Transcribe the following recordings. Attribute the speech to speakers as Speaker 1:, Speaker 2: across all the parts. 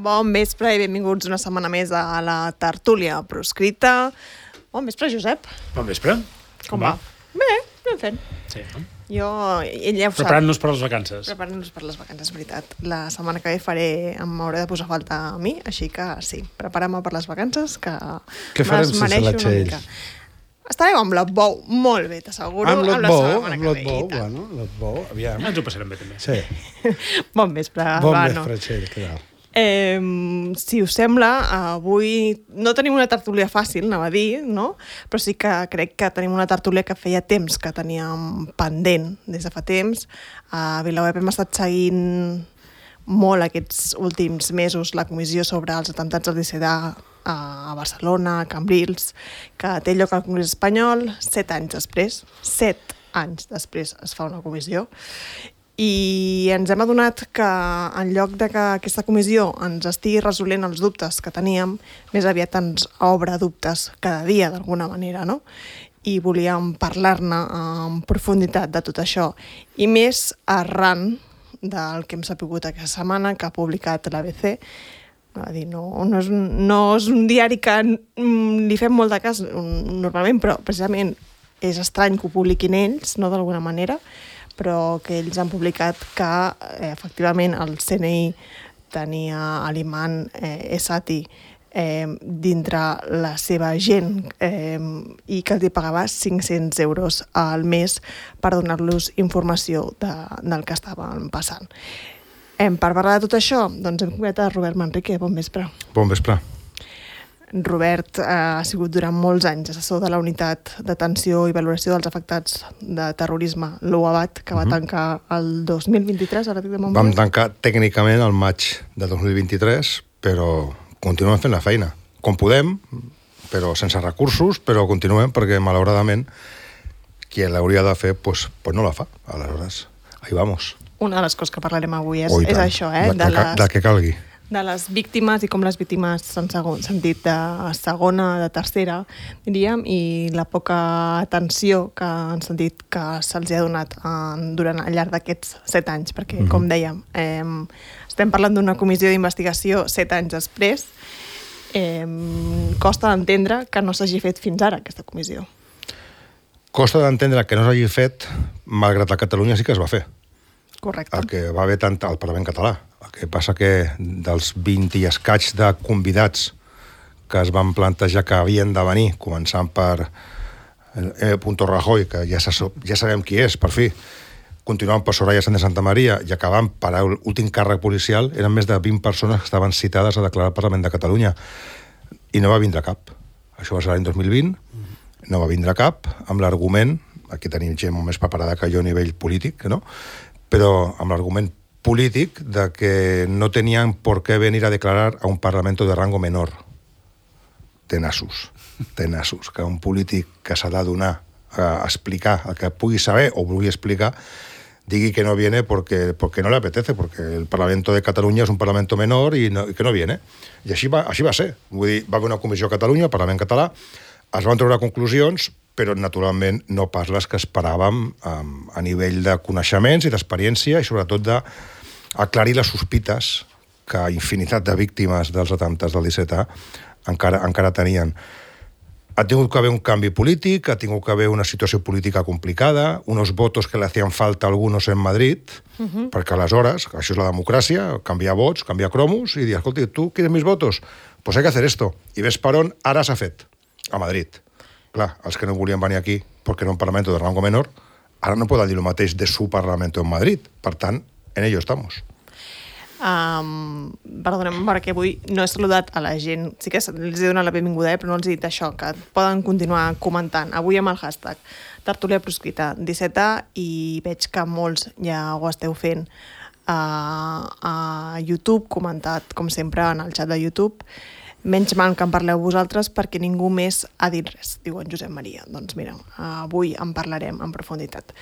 Speaker 1: Bon vespre i benvinguts una setmana més a la tertúlia proscrita. Bon vespre, Josep.
Speaker 2: Bon vespre.
Speaker 1: Com va? Bé, anem fent.
Speaker 2: Sí, no?
Speaker 1: Jo, ell ja ho sap.
Speaker 2: Preparant-nos per les vacances.
Speaker 1: Preparant-nos per les vacances, veritat. La setmana que ve m'hauré de posar falta a mi, així que sí, prepara-me per les vacances, que
Speaker 3: què farem sense la Txell?
Speaker 1: Estarem amb l'Otbou, molt bé, t'asseguro.
Speaker 3: Amb l'Otbou, bueno, l'Otbou, aviam.
Speaker 2: Ens ho passarem bé, també.
Speaker 3: Sí.
Speaker 1: Bon vespre,
Speaker 3: Bon vespre, Txell, què tal?
Speaker 1: Si us sembla, avui no tenim una tertúlia fàcil, anava a dir, no? Però sí que crec que tenim una tertúlia que feia temps que teníem pendent, des de fa temps. A VilaWeb hem estat seguint molt aquests últims mesos la comissió sobre els atemptats del 17A a Barcelona, a Cambrils, que té lloc al Congrés Espanyol 7 anys després. 7 anys després es fa una comissió. I ens hem adonat que en lloc de que aquesta comissió ens estigui resolent els dubtes que teníem, més aviat ens obre dubtes cada dia d'alguna manera, no? I volíem parlar-ne en profunditat de tot això. I més arran del que hem sapigut aquesta setmana, que ha publicat l'ABC. No és un diari que li fem molt de cas normalment, però precisament és estrany que ho publiquin ells, no d'alguna manera, però que ells han publicat que efectivament el CNI tenia a l'imam Esati dintre la seva gent i que els pagava 500 euros al mes per donar-los informació del que estaven passant. Per parlar de tot això, doncs hem convidat a Robert Manrique. Bon vespre.
Speaker 3: Bon vespre.
Speaker 1: Robert ha sigut durant molts anys assessor de la Unitat d'Atenció i Valoració dels Afectats de Terrorisme, l'UAVAT, que va tancar el 2023, ara dic de memòria.
Speaker 3: Vam tancar tècnicament el maig de 2023, però continuem fent la feina. Com podem, però sense recursos, però continuem perquè, malauradament, qui l'hauria de fer, pues no la fa. Aleshores, ahí vamos.
Speaker 1: Una de les coses que parlarem avui és això,
Speaker 3: de què calgui.
Speaker 1: De les víctimes i com les víctimes s'han sentit de segona, de tercera, diríem, i la poca atenció que han sentit que se'ls ha donat durant al llarg d'aquests 7 anys, perquè, com dèiem, estem parlant d'una comissió d'investigació 7 anys després. Costa d'entendre que no s'hagi fet fins ara, aquesta comissió.
Speaker 3: Costa d'entendre que no s'hagi fet, malgrat a Catalunya sí que es va fer.
Speaker 1: Correcte.
Speaker 3: El que va haver tant al Parlament català. El que passa que dels 20 i escaig de convidats que es van plantejar que havien de venir, començant per Rajoy, que ja sabem qui és, per fi, continuant per Soraya Sáenz de Santamaría i acabant per l'últim càrrec policial, eren més de 20 persones que estaven citades a declarar al Parlament de Catalunya. I no va vindre cap. Això va ser l'any 2020, no va vindre cap, amb l'argument, aquí tenim gent molt més preparada que jo a nivell polític, no? Però amb l'argument polític de que no tenien por qué venir a declarar a un parlamento de rango menor. Tenassos, que un polític que s'ha de donar a explicar el que pugui saber o vulgui explicar, digui que no viene porque no le apetece, porque el Parlamento de Catalunya és un parlamento menor i que no viene. I així va ser. Vull dir, va haver una comissió a Catalunya, al Parlament català, es van treure conclusions, però naturalment no pas les que esperàvem a nivell de coneixements i d'experiència i sobretot d'aclarir les sospites que infinitat de víctimes dels atemptats del 17A encara tenien. Ha tingut que haver un canvi polític, ha tingut que haver una situació política complicada, unos votos que le hacían falta a algunos en Madrid, perquè aleshores, això és la democràcia, canviar vots, canviar cromos, i dir, escolta, tu quieres mis votos? Pues hay que hacer esto. I ves per on ara s'ha fet, a Madrid. Clar, els que no volien venir aquí perquè era un Parlamento de rango menor, ara no poden dir el mateix de su Parlamento en Madrid. Per tant, en ello estamos.
Speaker 1: Perdoneu, perquè avui no he saludat a la gent. Sí que els he donat la benvinguda, però no els he dit això, que poden continuar comentant. Avui amb el hashtag tertúlia proscrita 17A i veig que molts ja ho esteu fent a YouTube, comentat, com sempre, en el xat de YouTube. Menys mal que en parleu vosaltres perquè ningú més ha dit res, diu en Josep Maria. Doncs mira, avui en parlarem en profunditat.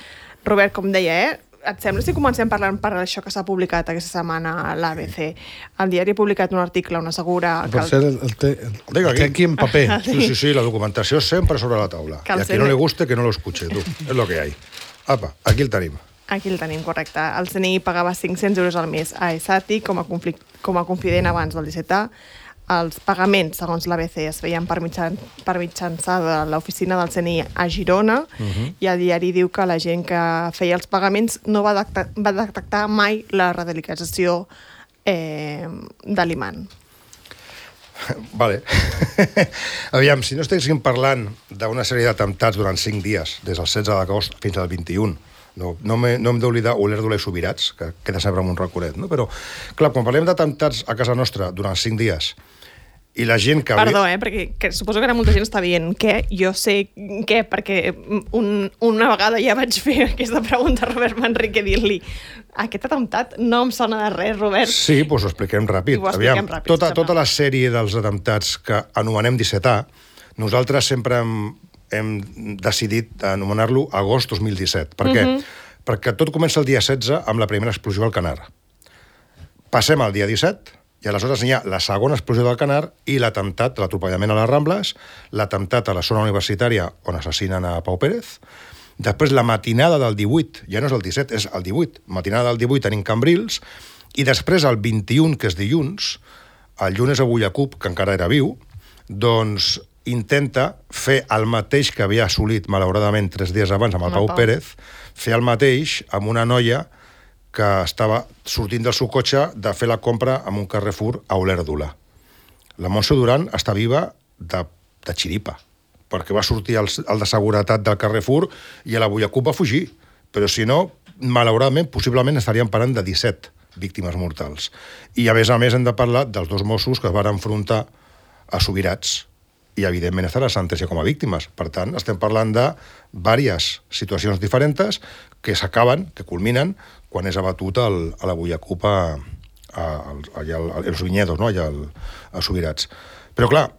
Speaker 1: Robert, com deia, et sembla si comencem parlant per això que s'ha publicat aquesta setmana a l'ABC? El diari ha publicat un article on assegura...
Speaker 2: Per cert, el té aquí en paper.
Speaker 3: Sí, la documentació sempre sobre la taula. I a qui no le guste, que no lo escuche, tu. És lo que hay. Apa, aquí el tenim.
Speaker 1: Aquí el tenim, correcte. El CNI pagava 500 euros al mes a ESATI com a confident abans del 17A. Els pagaments, segons l'ABC, es feien per mitjançar de l'oficina del CNI a Girona, i el diari diu que la gent que feia els pagaments no va detectar mai la radicalització de l'imam.
Speaker 3: Vale. Aviam, si no estiguéssim parlant d'una sèrie d'atemptats durant 5 dies, des del 16 d'agost fins al 21, no hem d'oblidar Olèrdola i Subirats, que queda sempre amb un raconet, no? Però, clar, quan parlem d'atemptats a casa nostra durant 5 dies, i la gent que...
Speaker 1: Perdó, perquè suposo que ara molta gent està dient què, jo sé què, perquè una vegada ja vaig fer aquesta pregunta a Robert Manrique, dir-li aquest atemptat no em sona de res, Robert.
Speaker 3: Sí, doncs ho expliquem ràpid. Aviam, tota la sèrie dels atemptats que anomenem 17A, nosaltres sempre hem decidit anomenar-lo agost 2017. Per què? Perquè tot comença el dia 16 amb la primera explosió al Canar. Passem al dia 17, i aleshores hi ha la segona explosió del Canar i l'atemptat, l'atropellament a les Rambles, l'atemptat a la zona universitària on assassinen a Pau Pérez. Després la matinada del 18, ja no és el 17, és el 18. Matinada del 18 tenim Cambrils, i després el 21, que és dilluns, el Llunes Abullacup, que encara era viu, doncs intenta fer el mateix que havia assolit, malauradament, 3 dies abans amb el Pau Pérez, fer el mateix amb una noia que estava sortint del seu cotxe de fer la compra en un Carrefour a Olèrdola. La Montse Duran està viva de xiripa, perquè va sortir el de seguretat del Carrefour i a la Bullacup va fugir. Però si no, malauradament, possiblement estaríem parlant de 17 víctimes mortals. I a més hem de parlar dels 2 Mossos que es van enfrontar a Subirats i, evidentment, estan a sentència com a víctimes. Per tant, estem parlant de diverses situacions diferents que s'acaben, que culminen, quan és abatut a la Bullacup als Viñedos, no? Allà a Subirats. Però, clar,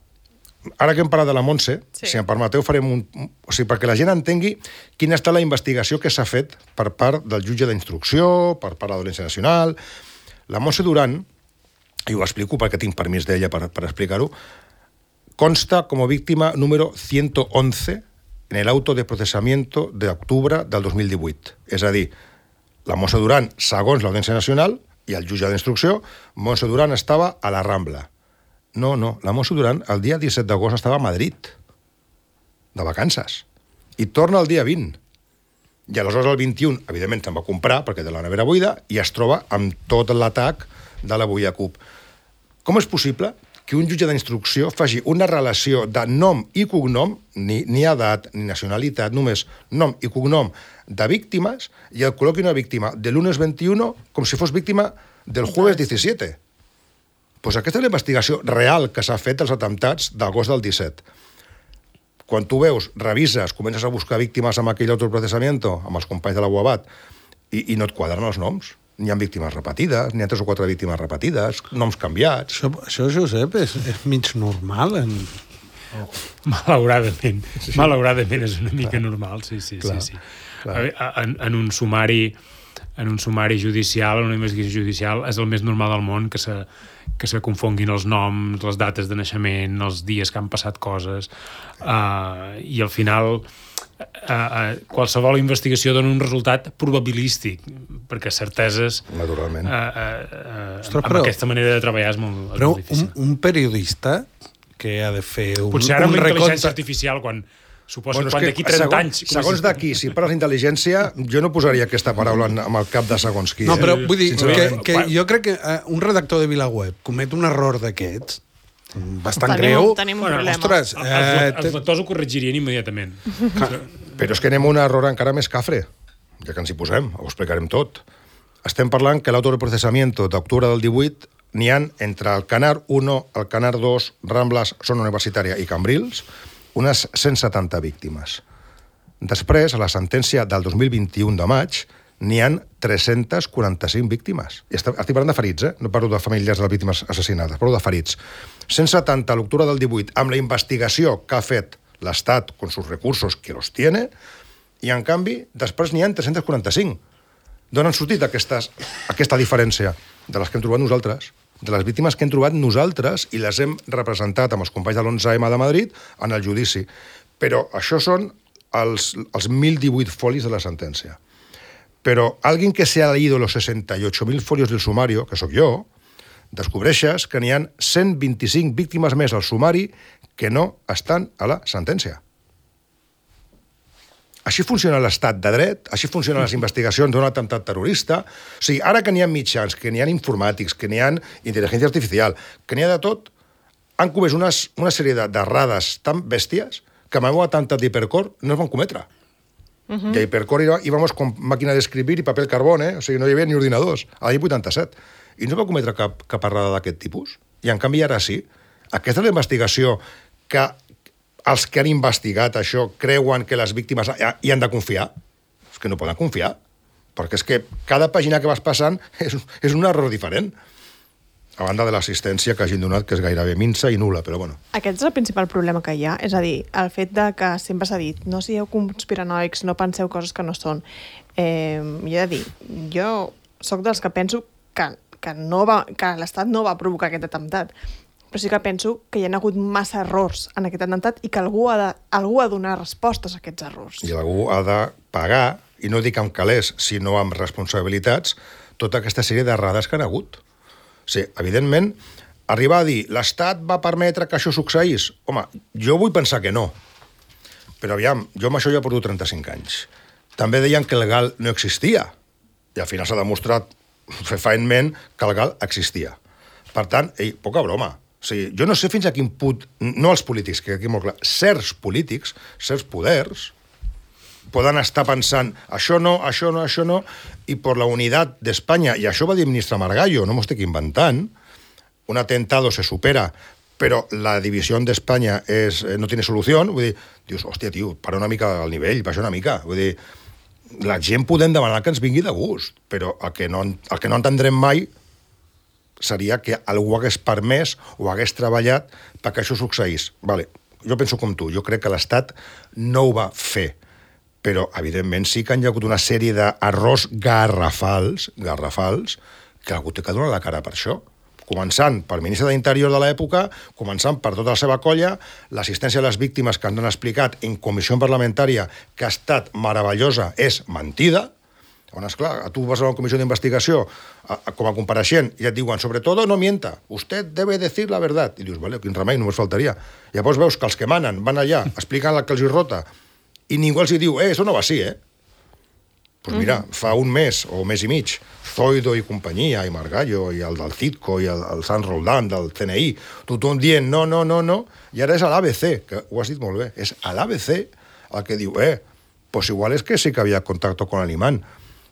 Speaker 3: ara que hem parlat de la Montse, si em permeteu, farem o sigui, perquè la gent entengui quina ha estat la investigació que s'ha fet per part del jutge d'instrucció, per part de l'Audiència Nacional. La Montse Duran, i ho explico perquè tinc permís d'ella per explicar-ho, consta como víctima número 111 en el auto de procesamiento de octubre del 2018. És a dir, la Montse Duran, segons l'Audiència Nacional i el jutge d'instrucció, Montse Duran estava a la Rambla. No, la Montse Duran el dia 17 d'agost estava a Madrid, de vacances, i torna el dia 20. I aleshores el 21, evidentment, se'n va comprar, perquè té la nevera buida, i es troba amb tot l'atac de la Bullacup. Com és possible que un jutge d'instrucció faci una relació de nom i cognom, ni edat, ni nacionalitat, només nom i cognom de víctimes, i el col·loqui una víctima de lunes 21 com si fos víctima del jueves 17? Doncs aquesta és la investigació real que s'ha fet dels atemptats d'agost del 17. Quan tu veus, revises, comences a buscar víctimes amb aquell autoprocessamiento, amb els companys de la UABAT, i no et quadren els noms. N'hi ha víctimes repetides, n'hi ha 3 o 4 víctimes repetides, noms canviats.
Speaker 2: Això Josep, és mig normal.
Speaker 4: Malauradament. Sí. Malauradament és una mica normal, sí. Clar. En un sumari judicial, en una investigació judicial, és el més normal del món que se confonguin els noms, les dates de naixement, els dies que han passat coses, i al final qualsevol investigació dona un resultat probabilístic, perquè certeses
Speaker 3: naturalment
Speaker 4: amb aquesta manera de treballar és molt difícil.
Speaker 2: Un periodista que ha de fer
Speaker 4: potser ara amb la intel·ligència artificial quan d'aquí 30 anys...
Speaker 3: Segons d'aquí, si parles d'intel·ligència, jo no posaria aquesta paraula amb el cap de segons qui.
Speaker 2: No, però vull dir que jo crec que un redactor de VilaWeb comet un error d'aquests bastant greu.
Speaker 1: Tenim un problema.
Speaker 2: Ostres,
Speaker 4: els lectors ho corregirien immediatament.
Speaker 3: Però és que anem a un error encara més cafre, ja que ens hi posem, ho explicarem tot. Estem parlant que l'auto de processamiento d'octubre del 18 n'hi ha entre el Canar 1, el Canar 2, Rambles, Zona Universitària i Cambrils, unes 170 víctimes. Després, a la sentència del 2021 de maig, n'hi ha 345 víctimes. Estic parlant de ferits, no parlo de famílies de les víctimes assassinades, parlo de ferits. 170 a l'octubre del 18, amb la investigació que ha fet l'Estat con sus recursos, que los tiene, I, en canvi, després n'hi ha 345. D'on han sortit aquesta diferència? De les que hem trobat nosaltres, de les víctimes que hem trobat nosaltres i les hem representat amb els companys de l'11M de Madrid en el judici. Però això són els 1.018 folis de la sentència. Però alguien que se ha leído los 68.000 folios del sumario, que sóc jo, descobreixes que n'hi ha 125 víctimes més al sumari que no estan a la sentència. Així funciona l'estat de dret, així funcionen les investigacions d'un atemptat terrorista. O sigui, ara que n'hi ha mitjans, que n'hi ha informàtics, que n'hi ha intel·ligència artificial, que n'hi ha de tot, han comès una sèrie d'errades tan bèsties que amb el meu atemptat d'Hipercor no es van cometre. I a Hipercor íbamos con màquina d'escribir i paper carbón, o sigui, no hi havia ni ordinadors, a l'any 87. I no es va cometre cap errada d'aquest tipus. I en canvi ara sí. Aquesta és la investigació que els que han investigat això creuen que les víctimes hi han de confiar. És que no poden confiar, perquè és que cada pàgina que vas passant és un error diferent. A banda de l'assistència que hagin donat, que és gairebé minsa i nul·la, però bueno.
Speaker 1: Aquest és el principal problema que hi ha, és a dir, el fet de que sempre s'ha dit no sigueu conspiranoics, no penseu coses que no són. Jo he de dir, jo sóc dels que penso que l'Estat no va provocar aquest atemptat, però sí que penso que hi ha hagut massa errors en aquest atemptat i que algú ha de donar respostes a aquests errors.
Speaker 3: I algú ha de pagar, i no dic amb calés, sinó amb responsabilitats, tota aquesta sèrie d'errades que han hagut. O sigui, evidentment, arribar a dir l'Estat va permetre que això succeís, home, jo vull pensar que no. Però aviam, jo amb això ja porto 35 anys. També deien que el GAL no existia, i al final s'ha demostrat fefaentment que el GAL existia. Per tant, poca broma. O sigui, jo no sé fins a quin punt, no els polítics, que aquí molt clar, certs polítics, certs poders, poden estar pensant això no, i per la unitat d'Espanya, i això va dir el ministre Margallo, no m'ho estic inventant, un atentado se supera, però la divisió d'Espanya no tiene solució, vull dir, dius, hòstia, tio, para una mica al nivell, baixa una mica, vull dir, la gent podem demanar que ens vingui de gust, però el que no entendrem mai seria que algú hagués permès o hagués treballat perquè això succeís. Vale, jo penso com tu, jo crec que l'Estat no ho va fer, però evidentment sí que han hi ha hagut una sèrie d'errors garrafals, que algú té que donar la cara per això. Començant pel ministre d'Interior de l'època, començant per tota la seva colla, l'assistència a les víctimes que ens han explicat en comissió parlamentària que ha estat meravellosa és mentida. On, esclar, tu vas a una comissió d'investigació com a compareixent i et diuen, sobretot no mienta, usted debe decir la verdad. I dius, vale, quin remei, només faltaria. Llavors veus que els que manen van allà, expliquen el que els hi rota, i ningú els hi diu, eso no va així, Pues mira, fa un mes o un mes i mig, Zoido i companyia, i Margallo, i el del Citco, i el Sant Roldán, del CNI, tothom dient no, i ara és a l'ABC, que ho has dit molt bé, és a l'ABC el que diu, pues igual és que sí que havia contacte con el imán.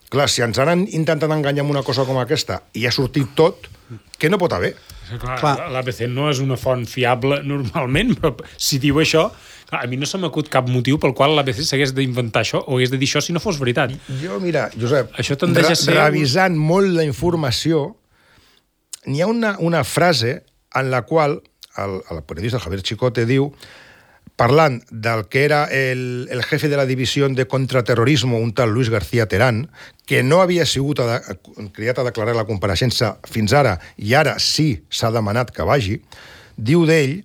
Speaker 3: Clar, si ens han intentat enganyar amb una cosa com aquesta i ha sortit tot, què no pot haver?
Speaker 4: Clar. L'ABC no és una font fiable normalment, però si diu això, clar, a mi no se m'acut cap motiu pel qual l'ABC s'hagués d'inventar això o hagués de dir això si no fos veritat.
Speaker 3: Jo, mira, Josep,
Speaker 4: això tendeix a ser...
Speaker 3: revisant molt la informació, n'hi ha una frase en la qual el periodista Javier Chicote diu, parlant del que era el jefe de la divisió de contraterrorismo, un tal Luis García Terán, que no havia sigut cridat a declarar la compareixença fins ara, i ara sí s'ha demanat que vagi, diu d'ell,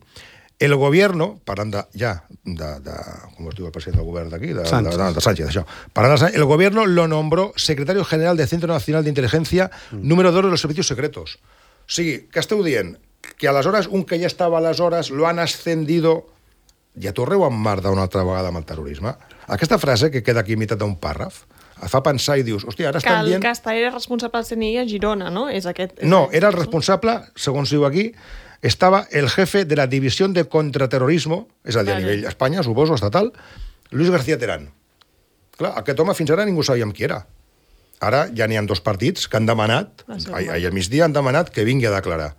Speaker 3: el gobierno, parlant com es diu el president del govern d'aquí? De Sánchez, això. El gobierno lo nombró secretario general del Centro Nacional de Inteligencia, número 2 de los servicios secretos. O sigui, què esteu dient? Que aleshores un que ja estava aleshores lo han ascendido... Ja torneu a emmerdar una altra vegada amb el terrorisme? Aquesta frase, que queda aquí a meitat d'un pàrraf, et fa pensar i dius, hòstia, ara estan dient...
Speaker 1: Que el Castellà era responsable del CNI a Girona, no?
Speaker 3: No, era el responsable, segons diu aquí, estava el jefe de la divisió de contraterrorismo, és a dir, a nivell Espanya, suposo, estatal, Luis García Terán. Clar, aquest home fins ara ningú sabíem qui era. Ara ja n'hi ha 2 partits que han demanat, ahir al migdia han demanat que vingui a declarar.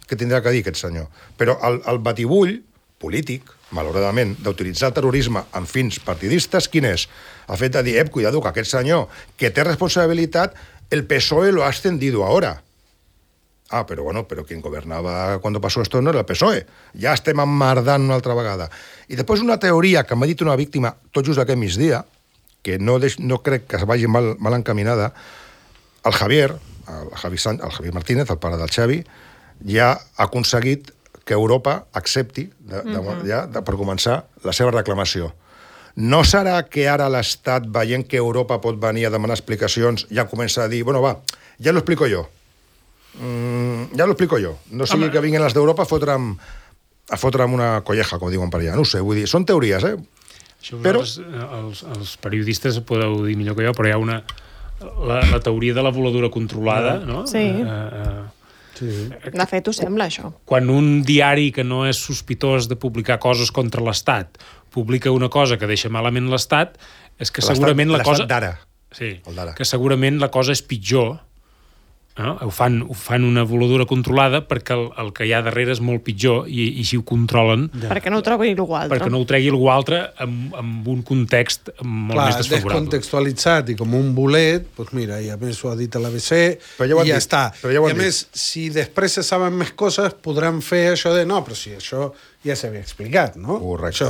Speaker 3: Què tindrà que dir aquest senyor? Però el batibull polític, malauradament, d'utilitzar el terrorisme amb fins partidistes, quin és? El fet de dir, cuidado, que aquest senyor que té responsabilitat, el PSOE lo ha ascendido ahora. Ah, però quien gobernava cuando pasó esto no era el PSOE. Ja estem emmerdant una altra vegada. I després una teoria que m'ha dit una víctima tot just aquest migdia, que no crec que es vagi mal encaminada, el Javier Martínez, el pare del Xavi, ja ha aconseguit que Europa accepti, per començar, la seva reclamació. No serà que ara l'Estat, veient que Europa pot venir a demanar explicacions, ja comença a dir, bueno, va, ja lo explico yo. No sigui que vinguin les d'Europa a fotre'm una colleja, com diuen per allà. No ho sé, vull dir, són teories,
Speaker 4: Això però els periodistes podeu dir millor que jo, però hi ha la teoria de la voladura controlada, no?
Speaker 1: Sí. De fet, ho sembla, això.
Speaker 4: Quan un diari que no és sospitós de publicar coses contra l'Estat publica una cosa que deixa malament l'Estat, és que segurament la cosa...
Speaker 3: L'Estat d'ara.
Speaker 4: Sí, que segurament la cosa és pitjor. No? Ho fan una voladura controlada perquè el que hi ha darrere és molt pitjor i així ho controlen.
Speaker 1: Perquè no ho tregui algú altre.
Speaker 4: Perquè no ho tregui algú altre amb un context molt més desfavorable.
Speaker 2: Descontextualitzat i com un bolet, doncs mira, i a més ho ha dit a l'ABC i ja està. I a més, si després se saben més coses, podran fer això de no, però si això ja s'havia explicat, no?
Speaker 3: Correcte.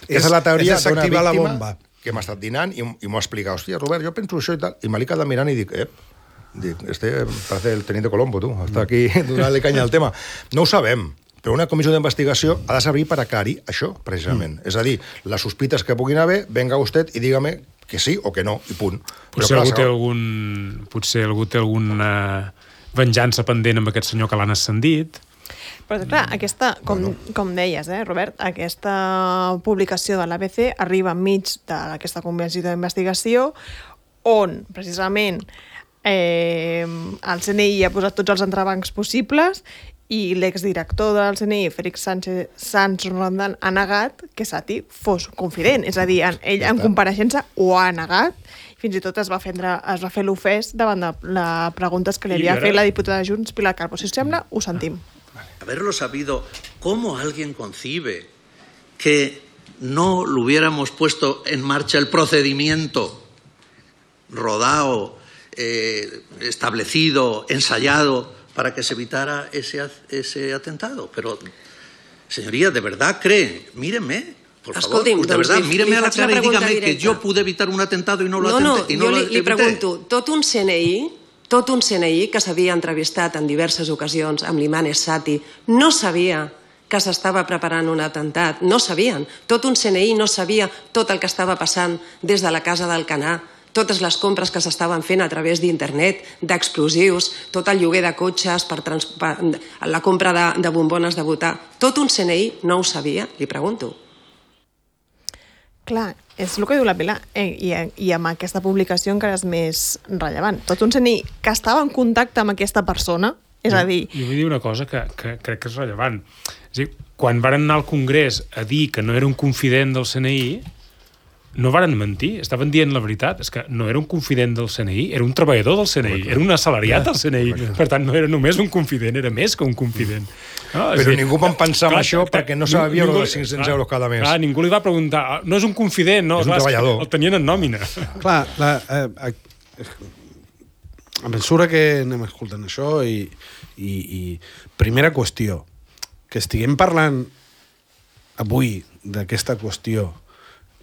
Speaker 2: És la teoria d'una
Speaker 3: la
Speaker 2: bomba
Speaker 3: que m'ha estat dinant i m'ho ha explicat. Hòstia, Robert, jo penso això i tal. I me l'he quedat mirant i dic, parece el teniente Colombo, tu. Està aquí donant-li canya al tema. No ho sabem, però una comissió d'investigació ha de servir per aclarir això, precisament. És a dir, les sospites que puguin haver, venga usted i dígame que sí o que no, i punt.
Speaker 4: Potser algú té alguna venjança pendent amb aquest senyor que l'han ascendit.
Speaker 1: Però, clar, com deies, Robert, aquesta publicació de l'ABC arriba enmig d'aquesta comissió d'investigació on, precisament, el CNI ha posat tots els entrebancs possibles i l'exdirector del CNI, Félix Sanz Rondan, ha negat que Sati fos confident. És a dir, ell en compareixença ho ha negat. Fins i tot es va fer l'ofès davant de les preguntes que li havia fet la diputada de Junts, Pilar Calvo. Si us sembla, ho sentim.
Speaker 5: Haberlo sabido, ¿cómo alguien concibe que no lo hubiéramos puesto en marcha el procedimiento rodado, establecido, ensayado, para que se evitara ese atentado? Pero, señoría, ¿de verdad cree? Míreme, por favor, de verdad, míreme a la cara y dígame que yo pude evitar un atentado y no lo atenté.
Speaker 6: No, jo li pregunto, tot un CNI que s'havia entrevistat en diverses ocasions amb l'imam Sati no sabia que s'estava preparant un atemptat, no sabien. Tot un CNI no sabia tot el que estava passant des de la casa d'Alcanar, totes les compres que s'estaven fent a través d'internet, d'explosius, tot el lloguer de cotxes, la compra de bombones de votar. Tot un CNI no ho sabia, li pregunto.
Speaker 1: Clar, és el que diu la Pilar, i amb aquesta publicació encara és més rellevant. Tot un CNI que estava en contacte amb aquesta persona, és a dir...
Speaker 4: Jo vull dir una cosa que crec que és rellevant. És a dir, quan varen anar al Congrés a dir que no era un confident del CNI, no varen mentir, estaven dient la veritat. És que no era un confident del CNI, era un treballador del CNI, era un assalariat del CNI. Per tant, no era només un confident, era més que un confident.
Speaker 3: Però ningú va pensar en això perquè no sabia els 500 euros cada mes.
Speaker 4: Ningú li va preguntar, no és un confident, no,
Speaker 3: és un treballador.
Speaker 4: El tenien en nòmina.
Speaker 2: Clar, a mesura que anem escoltant això i primera qüestió, que estiguem parlant avui d'aquesta qüestió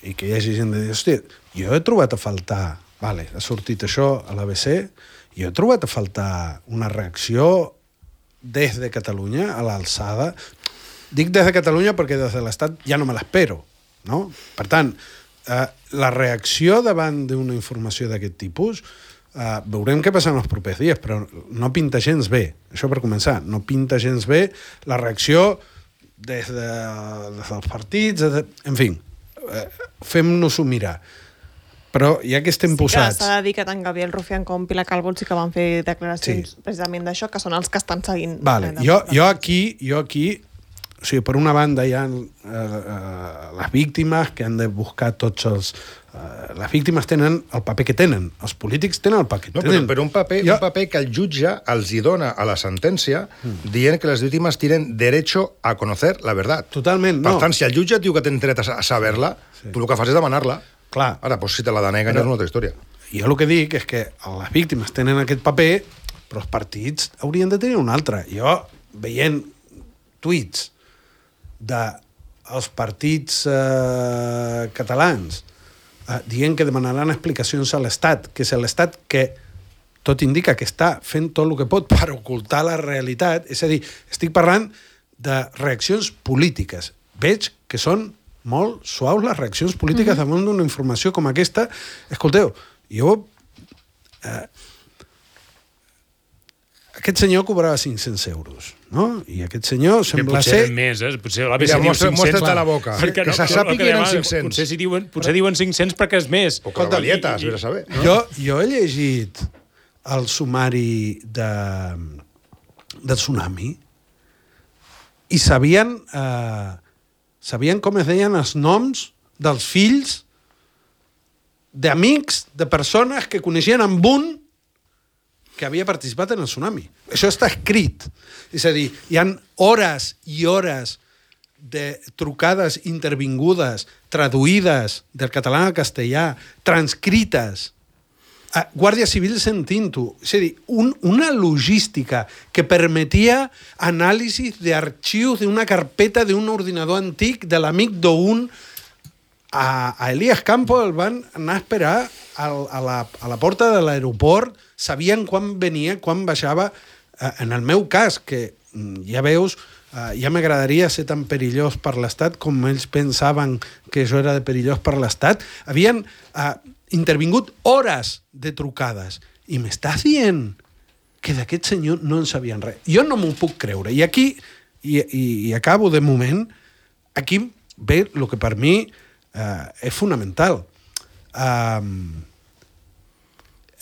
Speaker 2: i que hi hagi gent de dir, hòstia, jo he trobat a faltar, vale, ha sortit això a l'ABC, jo he trobat a faltar una reacció des de Catalunya a l'alçada. Dic des de Catalunya perquè des de l'Estat ja no me l'espero, no? Per tant, la reacció davant d'una informació d'aquest tipus veurem què passa en els propers dies, però no pinta gens bé. Això per començar, no pinta gens bé la reacció des dels partits, en fi, fem-nos-ho mirar. Però ja que estem posats...
Speaker 1: Sí que s'ha de dir que tant Gabriel Rufián com Pilar Calvo sí que van fer declaracions precisament d'això, que són els que estan seguint.
Speaker 2: Vale. Jo aquí, o sigui, per una banda hi ha les víctimes que han de buscar tots els... Les víctimes tenen el paper que tenen, els polítics tenen el paper que tenen.
Speaker 3: Però un paper que el jutge els hi dona a la sentència dient que les víctimes tienen derecho a conocer la verdad.
Speaker 2: Totalment, no.
Speaker 3: Per tant, si el jutge diu que tens dret a saber-la, tu el que fas és demanar-la.
Speaker 2: Clar.
Speaker 3: Ara, doncs, si te la deneguen, és una altra història.
Speaker 2: Jo el que dic és que les víctimes tenen aquest paper, però els partits haurien de tenir un altre. Jo, veient tuits dels partits catalans dient que demanaran explicacions a l'Estat, que és l'Estat que tot indica que està fent tot el que pot per ocultar la realitat. És a dir, estic parlant de reaccions polítiques. Veig que són molt suaus les reaccions polítiques damunt d'una informació com aquesta. Escolteu, jo... Aquest senyor cobrava 500 euros, no? I aquest senyor sembla ser...
Speaker 4: Potser més, potser l'ABC diu 500.
Speaker 3: Mostra't a la boca.
Speaker 4: Perquè
Speaker 3: que se sàpiga que eren 500.
Speaker 4: Potser diuen 500 perquè és més.
Speaker 3: O cavalietes, vés a saber.
Speaker 2: Jo he llegit el sumari del tsunami i sabien com es deien els noms dels fills d'amics, de persones que coneixien amb un que havia participat en el tsunami. Això està escrit. És a dir, hi ha hores i hores de trucades intervingudes, traduïdes del català al castellà, transcrites, Guàrdia Civil sentint-ho. És a dir, una logística que permetia anàlisis d'arxius d'una carpeta d'un ordinador antic de l'amic d'un... A Elías Campos el van anar a esperar a la porta de l'aeroport, sabien quan venia, quan baixava. En el meu cas, que ja veus, ja m'agradaria ser tan perillós per l'Estat com ells pensaven que això era de perillós per l'Estat, havien intervingut hores de trucades. I m'estàs dient que d'aquest senyor no en sabien res. Jo no m'ho puc creure. I aquí, i acabo de moment, aquí ve el que per mi és fonamental.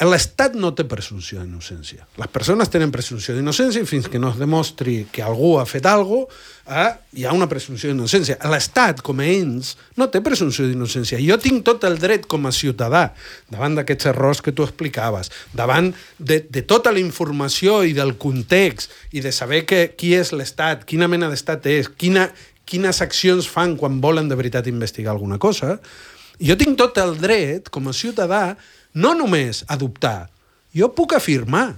Speaker 2: L'Estat no té presumpció d'innocència. Les persones tenen presumpció d'innocència i fins que no es demostri que algú ha fet alguna cosa, hi ha una presumpció d'innocència. L'Estat, com a ens, no té presumpció d'innocència. Jo tinc tot el dret com a ciutadà, davant d'aquests errors que tu explicaves, davant de tota la informació i del context, i de saber qui és l'Estat, quina mena d'Estat és, quines accions fan quan volen de veritat investigar alguna cosa. Jo tinc tot el dret, com a ciutadà, no només a dubtar. Jo puc afirmar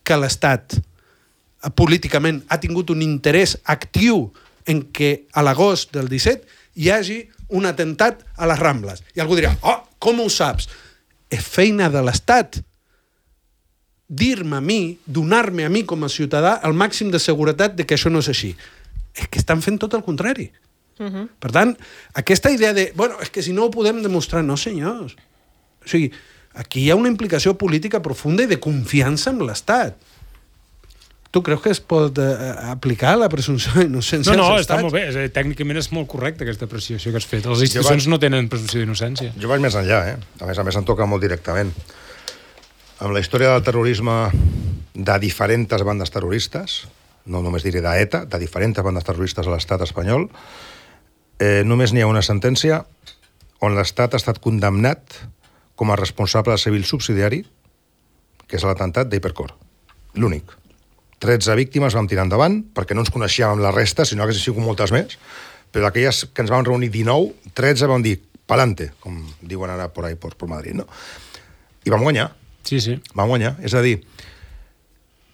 Speaker 2: que l'Estat políticament ha tingut un interès actiu en que a l'agost del 17 hi hagi un atemptat a les Rambles. I algú dirà, com ho saps? És feina de l'Estat dir-me a mi, donar-me a mi com a ciutadà el màxim de seguretat de que això no és així. És que estan fent tot el contrari. Per tant, aquesta idea de, és que si no ho podem demostrar, no senyors. O sigui, aquí hi ha una implicació política profunda i de confiança en l'Estat. Tu creus que es pot aplicar la presumpció d'innocència?
Speaker 4: No, està molt bé. Tècnicament és molt correcta aquesta apreciació que has fet. Les institucions no tenen presumpció d'innocència.
Speaker 3: Jo vaig més enllà, A més em toca molt directament. Amb la història del terrorisme de diferents bandes terroristes, no només diré d'ETA, de diferents bandes terroristes a l'estat espanyol, només n'hi ha una sentència on l'Estat ha estat condemnat com a responsable civil subsidiari, que és l'atemptat d'Hipercor. L'únic. 13 víctimes vam tirar endavant, perquè no ens coneixíem amb la resta, sinó que hi sigut moltes més, però d'aquelles que ens vam reunir 19, 13 vam dir, pa'lante, com diuen ara por ahí, por Madrid, no? I vam guanyar.
Speaker 4: Sí.
Speaker 3: Vam guanyar. És a dir,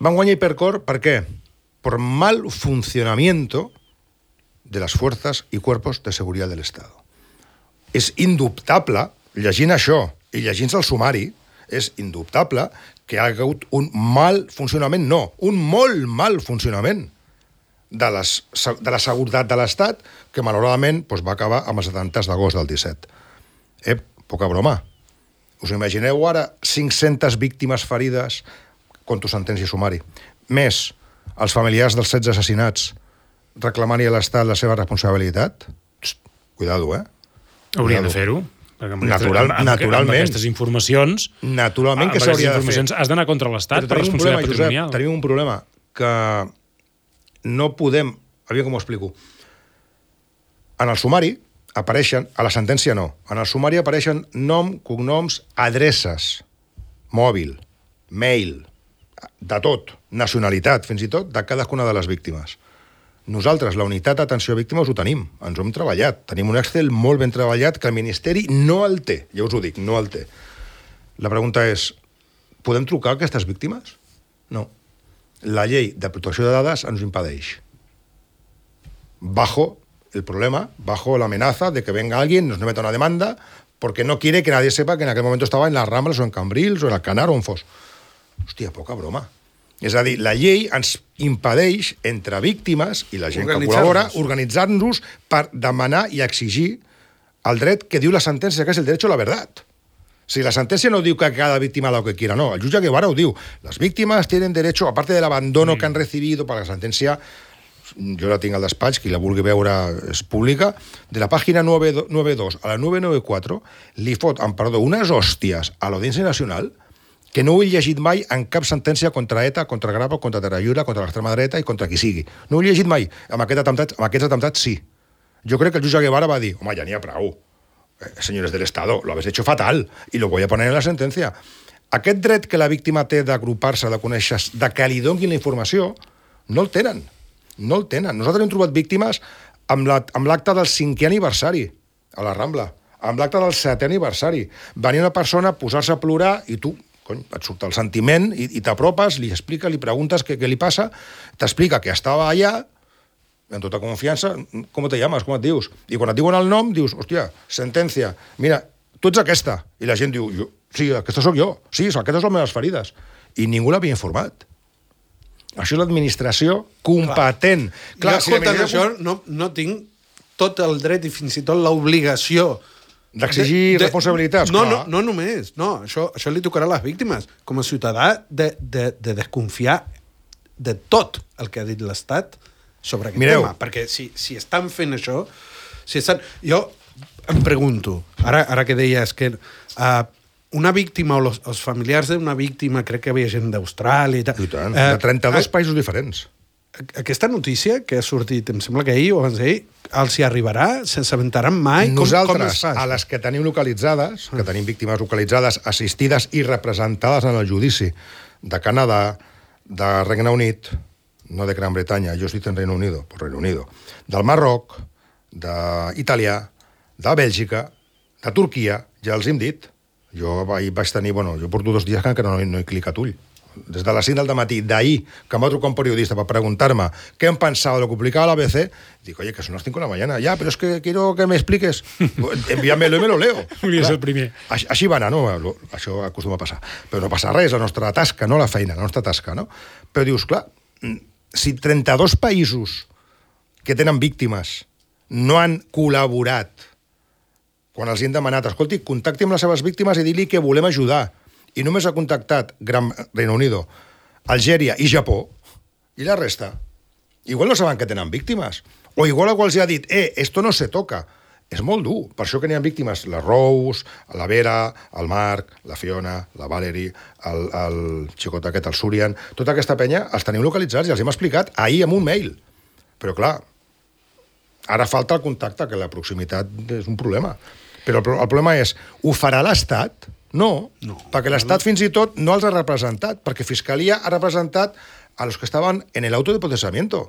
Speaker 3: vam guanyar Hipercor, per què? Por mal funcionamiento de las fuerzas y cuerpos de seguridad del Estado. És indubtable, llegint això i llegint el sumari, és indubtable que hi ha hagut un mal funcionament, un molt mal funcionament de la seguretat de l'Estat, que malauradament va acabar amb els atemptats d'agost del 17. Poca broma. Us imagineu ara 500 víctimes ferides contra sentència i sumari, més els familiars dels 16 assassinats reclamant-hi a l'Estat la seva responsabilitat? Cuidado,
Speaker 4: Haurien de fer-ho.
Speaker 3: Naturalment.
Speaker 4: Amb aquestes informacions...
Speaker 3: Naturalment que s'hauria de fer.
Speaker 4: Has d'anar contra l'Estat per responsabilitat patrimonial.
Speaker 3: Tenim un problema, que no podem... Aviam com ho explico. En el sumari apareixen... A la sentència no. En el sumari apareixen nom, cognoms, adreces, mòbil, mail, de tot, nacionalitat, fins i tot, de cadascuna de les víctimes. Nosaltres, la unitat d'atenció a víctimes, ho tenim. Ens ho hem treballat. Tenim un Excel molt ben treballat que el Ministeri no el té. Ja us ho dic, no el té. La pregunta és, podem trucar a aquestes víctimes? No. La llei de protecció de dades ens ho impedeix. Bajo el problema, bajo la amenaza de que venga alguien, nos meta una demanda porque no quiere que nadie sepa que en aquel momento estava en les Rambles o en Cambrils o en el Canar o on fos. Hòstia, poca broma. És a dir, la llei ens impedeix, entre víctimes i la gent que col·labora, organitzar-nos per demanar i exigir el dret que diu la sentència, que és el derecho a la verdad. Si la sentencia no diu que cada víctima lo que quiera, no. El jutge Guevara ho diu. Las víctimas tienen derecho, aparte del abandono que han recibido, para la sentencia, jo la tinc al despatx, qui la vulgui veure és pública, de la pàgina 992 a la 994 li fot, amb perdó, unes hòsties a l'Audiència Nacional que no ho he llegit mai en cap sentència contra ETA, contra Grapa, contra Terrallura, contra l'extrema dreta i contra qui sigui. No ho he llegit mai. Amb aquests atemptats sí. Jo crec que el jutge Guevara va dir, home, ja n'hi ha prou. Señores del Estado, lo habéis hecho fatal y lo voy a poner en la sentencia. Aquest dret que la víctima té d'agrupar-se, de conèixer, de que li donin la informació, no el tenen. No el tenen. Nosaltres hem trobat víctimes amb l'acte del 5è aniversari a la Rambla, amb l'acte del 7è aniversari. Venia una persona a posar-se a plorar i tu, cony, et surt el sentiment i t'apropes, li explica, li preguntes què li passa, t'explica que estava allà, en tota confiança, com te llames, com et dius? I quan et diuen el nom, dius, hòstia, sentència, mira, tu ets aquesta. I la gent diu, sí, aquesta sóc jo, sí, aquestes són les meves ferides. I ningú l'havia informat. Això és l'administració competent.
Speaker 2: Clar, si escoltant això, no tinc tot el dret i fins i tot l'obligació
Speaker 3: d'exigir responsabilitats.
Speaker 2: No només. No, això li tocarà a les víctimes. Com a ciutadà, de desconfiar de tot el que ha dit l'Estat sobre aquest tema, perquè si estan fent això, jo em pregunto, ara que deies que una víctima o els familiars d'una víctima, crec que hi havia gent d'Austràlia i tal.
Speaker 3: I tant, de 32 països diferents.
Speaker 2: Aquesta notícia que ha sortit, em sembla que ahir o abans d'ahir, els hi arribarà? S'assabentaran mai?
Speaker 3: Nosaltres, a les que tenim localitzades, que tenim víctimes localitzades, assistides i representades en el judici de Canadà, de Regne Unit, no de Gran Bretanya, jo estic en Reino Unido, pues Reino Unido, del Marroc, d'Itàlia, de Bèlgica, de Turquia, ja els hem dit. Jo vaig tenir, jo porto 2 dies que encara no he clicat ull. Des de les 5 del matí d'ahir, que em va trucar un periodista per preguntar-me què em pensava de lo que publicava l'ABC, dic, oye, que son las 5 de la mañana, ya, pero es que quiero que me expliques. Envíamelo i me lo leo.
Speaker 4: Volies el primer.
Speaker 3: Així va anar, no? Això acostuma a passar. Però no passa res, la nostra tasca, no la feina, la nostra tasca, no? Però dius, clar, si 32 països que tenen víctimes no han col·laborat quan els han demanat, escolti, contacti amb les seves víctimes i dir-li que volem ajudar, i només ha contactat Reino Unido, Algèria i Japó, i la resta, igual no saben que tenen víctimes, o igual algú els ha dit, esto no se toca. És molt dur, per això que n'hi ha víctimes, la Rose, la Vera, el Marc, la Fiona, la Valerie, el xicot aquest, el Surian, tota aquesta penya els tenim localitzats i els hem explicat ahir amb un mail. Però clar, ara falta el contacte, que la proximitat és un problema. Però el problema és, ho farà l'Estat? No, perquè l'Estat fins i tot no els ha representat, perquè Fiscalia ha representat a los que estaven en el auto de procesamiento.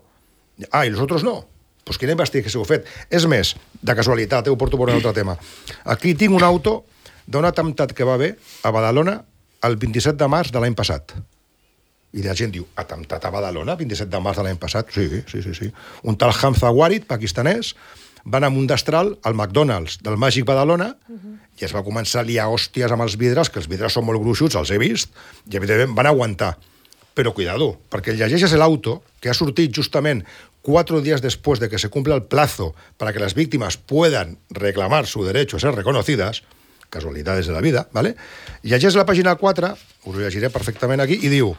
Speaker 3: I los otros no. Pues quina investigació heu fet? És més, de casualitat, ho porto per un altre tema. Aquí tinc un auto d'un atemptat que va haver a Badalona el 27 de març de l'any passat. I la gent diu, atemptat a Badalona, 27 de març de l'any passat? Sí. Un tal Hamza Warid, pakistanès, va anar amb un destral al McDonald's del Màgic Badalona i es va començar a liar hòsties amb els vidres, que els vidres són molt gruixuts, els he vist, i evidentment van aguantar. Pero cuidado, perquè llegeixes l'auto que ha sortit justament 4 días después de que se cumpla el plazo para que las víctimas puedan reclamar su derecho a ser reconocidas, casualidades de la vida, ¿vale? Llegeix la pàgina 4, us ho llegiré perfectament aquí, i diu,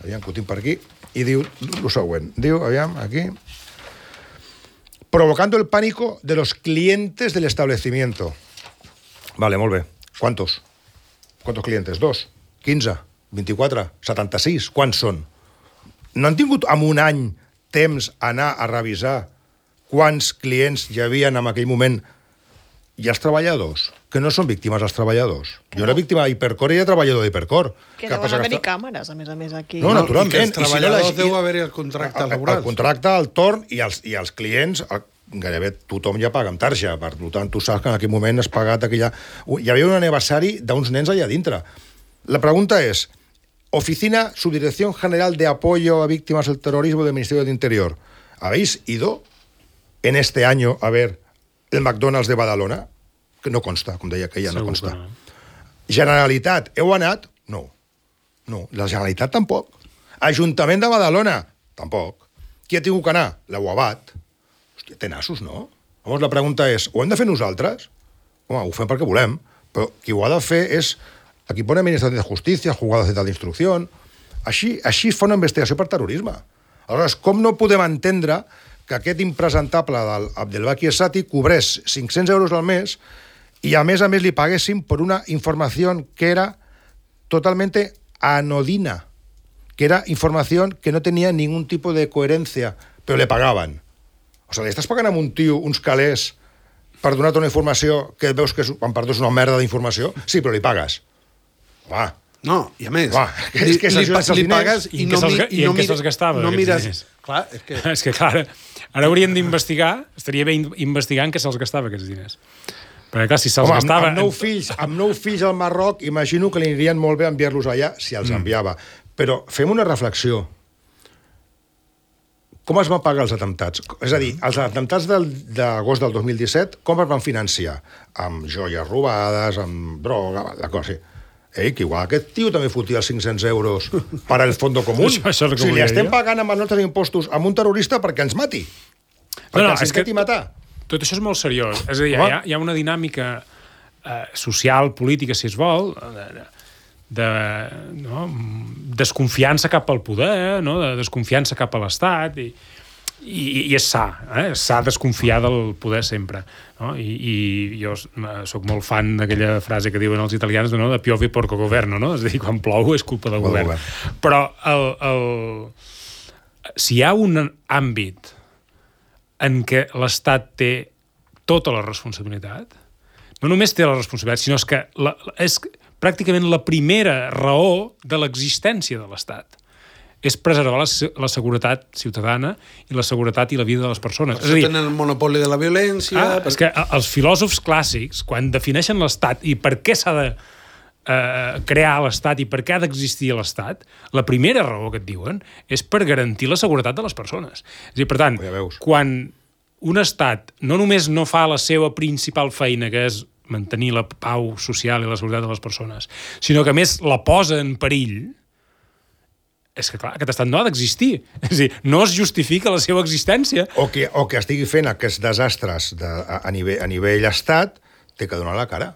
Speaker 3: aviam que ho tinc per aquí, i diu el següent, diu, aviam, aquí, provocando el pánico de los clientes del establecimiento. Vale, molt bé. ¿Cuántos clientes? 2, 15, 24, 76, quants són? No han tingut en un any temps anar a revisar quants clients hi havia en aquell moment i els treballadors, que no són víctimes els treballadors. Jo era víctima d'Hipercor i era treballador d'Hipercor.
Speaker 1: Que deuen haver-hi càmeres, a més, aquí.
Speaker 3: No, naturalment.
Speaker 2: I que els treballadors deu haver-hi el contracte laboral.
Speaker 3: El contracte, el torn i els clients, gairebé tothom ja paga amb tarja, per tant, tu saps que en aquell moment has pagat aquella... Hi havia un aniversari d'uns nens allà dintre. La pregunta és, Oficina Subdirección General de Apoyo a Víctimas del Terrorismo del Ministerio del Interior, ¿habéis ido en este año a ver el McDonald's de Badalona? que no consta, com deia que ja no consta.
Speaker 4: No.
Speaker 3: Generalitat, heu anat? No. La Generalitat tampoc. Ajuntament de Badalona? Tampoc. Qui ha tingut que anar? La UABAT. Hòstia, té nassos, no? Llavors la pregunta és, ho hem de fer nosaltres? Home, ho fem perquè volem, però qui ho ha de fer és aquí pone Administració de Justícia, Juzgado Central d'Instrucció. Així fa una investigació per terrorisme. Aleshores, com no podem entendre que aquest impresentable del Abdelbaki Essati cobrés 500 euros al mes i a més li paguessin per una informació que era totalmente anodina, que era información que no tenía ningún tipo de coherencia, pero le pagaven. O sigui, li estàs pagant a un tio uns calés per donar-te una informació que veus que és una merda d'informació? Sí, però li pagues. Va.
Speaker 2: No, i a més,
Speaker 3: li
Speaker 2: pagues i no
Speaker 4: què se'ls gastava,
Speaker 2: no mires...
Speaker 4: diners?
Speaker 2: Clar,
Speaker 4: és que clar, ara hauríem d'investigar, estaria bé investigar en què se'ls gastava aquests diners. Perquè clar, si se'ls gastava...
Speaker 3: Amb 9 fills al Marroc, imagino que li anirien molt bé enviar-los allà si els enviava. Però fem una reflexió. Com es van pagar els atemptats? És a dir, els atemptats d'agost del 2017, com es van financiar? Amb joies robades, amb droga, la cosa. Que igual aquest tio també fotia els 500 euros per al fondo comú.
Speaker 4: Això
Speaker 3: o sigui, li estem pagant amb els nostres impostos a un terrorista perquè ens mati. Perquè ens intenti matar.
Speaker 4: Tot això és molt seriós. És a dir, hi ha una dinàmica social, política, si es vol, de desconfiança cap al poder, de desconfiança cap a l'Estat, i és sa, és sa desconfiar del poder sempre. I jo soc molt fan d'aquella frase que diuen els italians de piove porco governo, és a dir, quan plou és culpa del govern. Però si hi ha un àmbit en què l'Estat té tota la responsabilitat, no només té la responsabilitat, sinó que és pràcticament la primera raó de l'existència de l'Estat. És preservar la seguretat ciutadana i la seguretat i la vida de les persones.
Speaker 2: Per això tenen el monopoli de la violència...
Speaker 4: És que els filòsofs clàssics, quan defineixen l'Estat i per què s'ha de crear l'Estat i per què ha d'existir l'Estat, la primera raó que et diuen és per garantir la seguretat de les persones. És a dir, per tant, quan un Estat no només no fa la seva principal feina, que és mantenir la pau social i la seguretat de les persones, sinó que a més la posa en perill, és que clar, aquest estat no ha d'existir. És a dir, no es justifica la seva existència.
Speaker 3: O que estigui fent aquests desastres a nivell estat, té que donar la cara.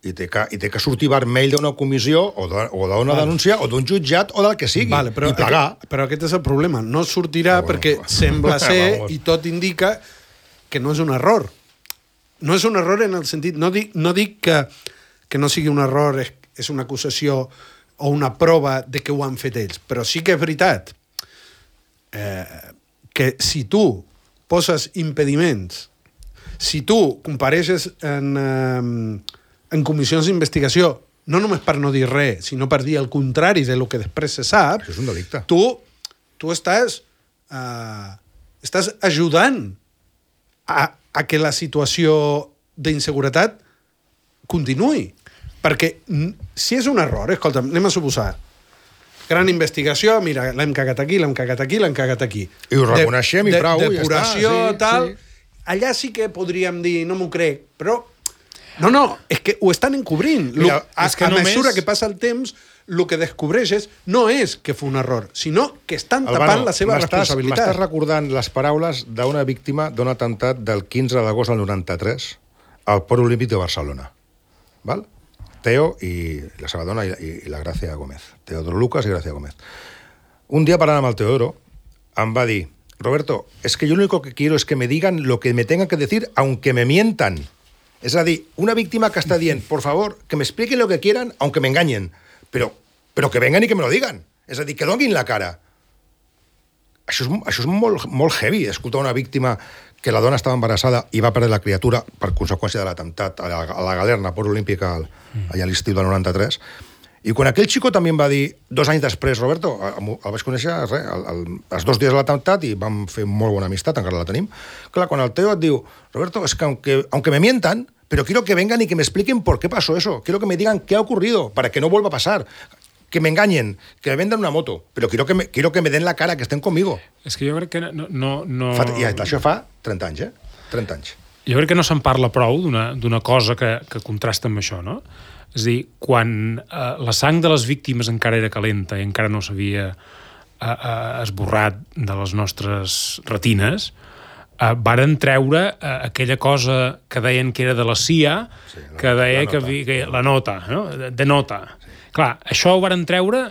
Speaker 3: I té que sortir vermell d'una comissió o d'una denúncia o d'un jutjat o del que sigui. I plegar.
Speaker 2: Però aquest és el problema. No sortirà perquè sembla ser, i tot indica, que no és un error. No és un error en el sentit... No dic que no sigui un error, és una acusació o una prova de que ho han fet ells, però sí que és veritat que si tu poses impediments, si tu compareixes en comissions d'investigació, no només per no dir res, sinó per dir el contrari del que després se sap,
Speaker 3: això és un delicte.
Speaker 2: Tu estàs ajudant a que la situació d'inseguretat continuï. Perquè si és un error, escolta'm, anem a suposar, gran investigació, mira, l'hem cagat aquí, l'hem cagat aquí, l'hem cagat aquí.
Speaker 3: I ho reconeixem i prou,
Speaker 2: depuració,
Speaker 3: ja està.
Speaker 2: Tal. Sí. Allà sí que podríem dir, no m'ho crec, però... No, és que ho estan encobrint. Mira, a mesura que passa el temps, el que descobreixes no és que fa un error, sinó que estan tapant la seva responsabilitat.
Speaker 3: M'estàs recordant les paraules d'una víctima d'un atemptat del 15 d'agost del 93 al Port Olímpic de Barcelona. Val? Teo y la seva dona y la Gracia Gómez. Teodoro Lucas y Gracia Gómez. Un día parlant amb el Teodoro em va dir, Roberto, es que yo lo único que quiero es que me digan lo que me tengan que decir aunque me mientan. És a dir, una víctima que està dient, por favor, que me expliquen lo que quieran aunque me engañen, pero que vengan y que me lo digan. És a dir, que donin la cara. Això és molt heavy, escoltar una víctima que la dona estava embarassada i va perdre la criatura per conseqüència de l'atemptat a la Galerna, Port Olímpic, allà a l'estiu del 93. I quan aquell xico també em va dir, 2 anys després, Roberto, el vaig conèixer els 2 dies de l'atemptat i vam fer molt bona amistat, encara la tenim. Clar, quan el Teo et diu, Roberto, es que aunque me mientan, pero quiero que vengan y que me expliquen por qué pasó eso. Quiero que me digan qué ha ocurrido para que no vuelva a pasar. Que me engañen, que me vendan una moto, pero quiero que me den la cara, que estén conmigo.
Speaker 4: És que jo crec que no...
Speaker 3: I això fa 30 anys, 30 anys.
Speaker 4: jo crec que no se'n parla prou d'una cosa que contrasta amb això, no? És a dir, quan la sang de les víctimes encara era calenta i encara no s'havia esborrat de les nostres retines, varen treure aquella cosa que deien que era de la CIA, que deia que la nota, no? De nota. Clar, això ho varen treure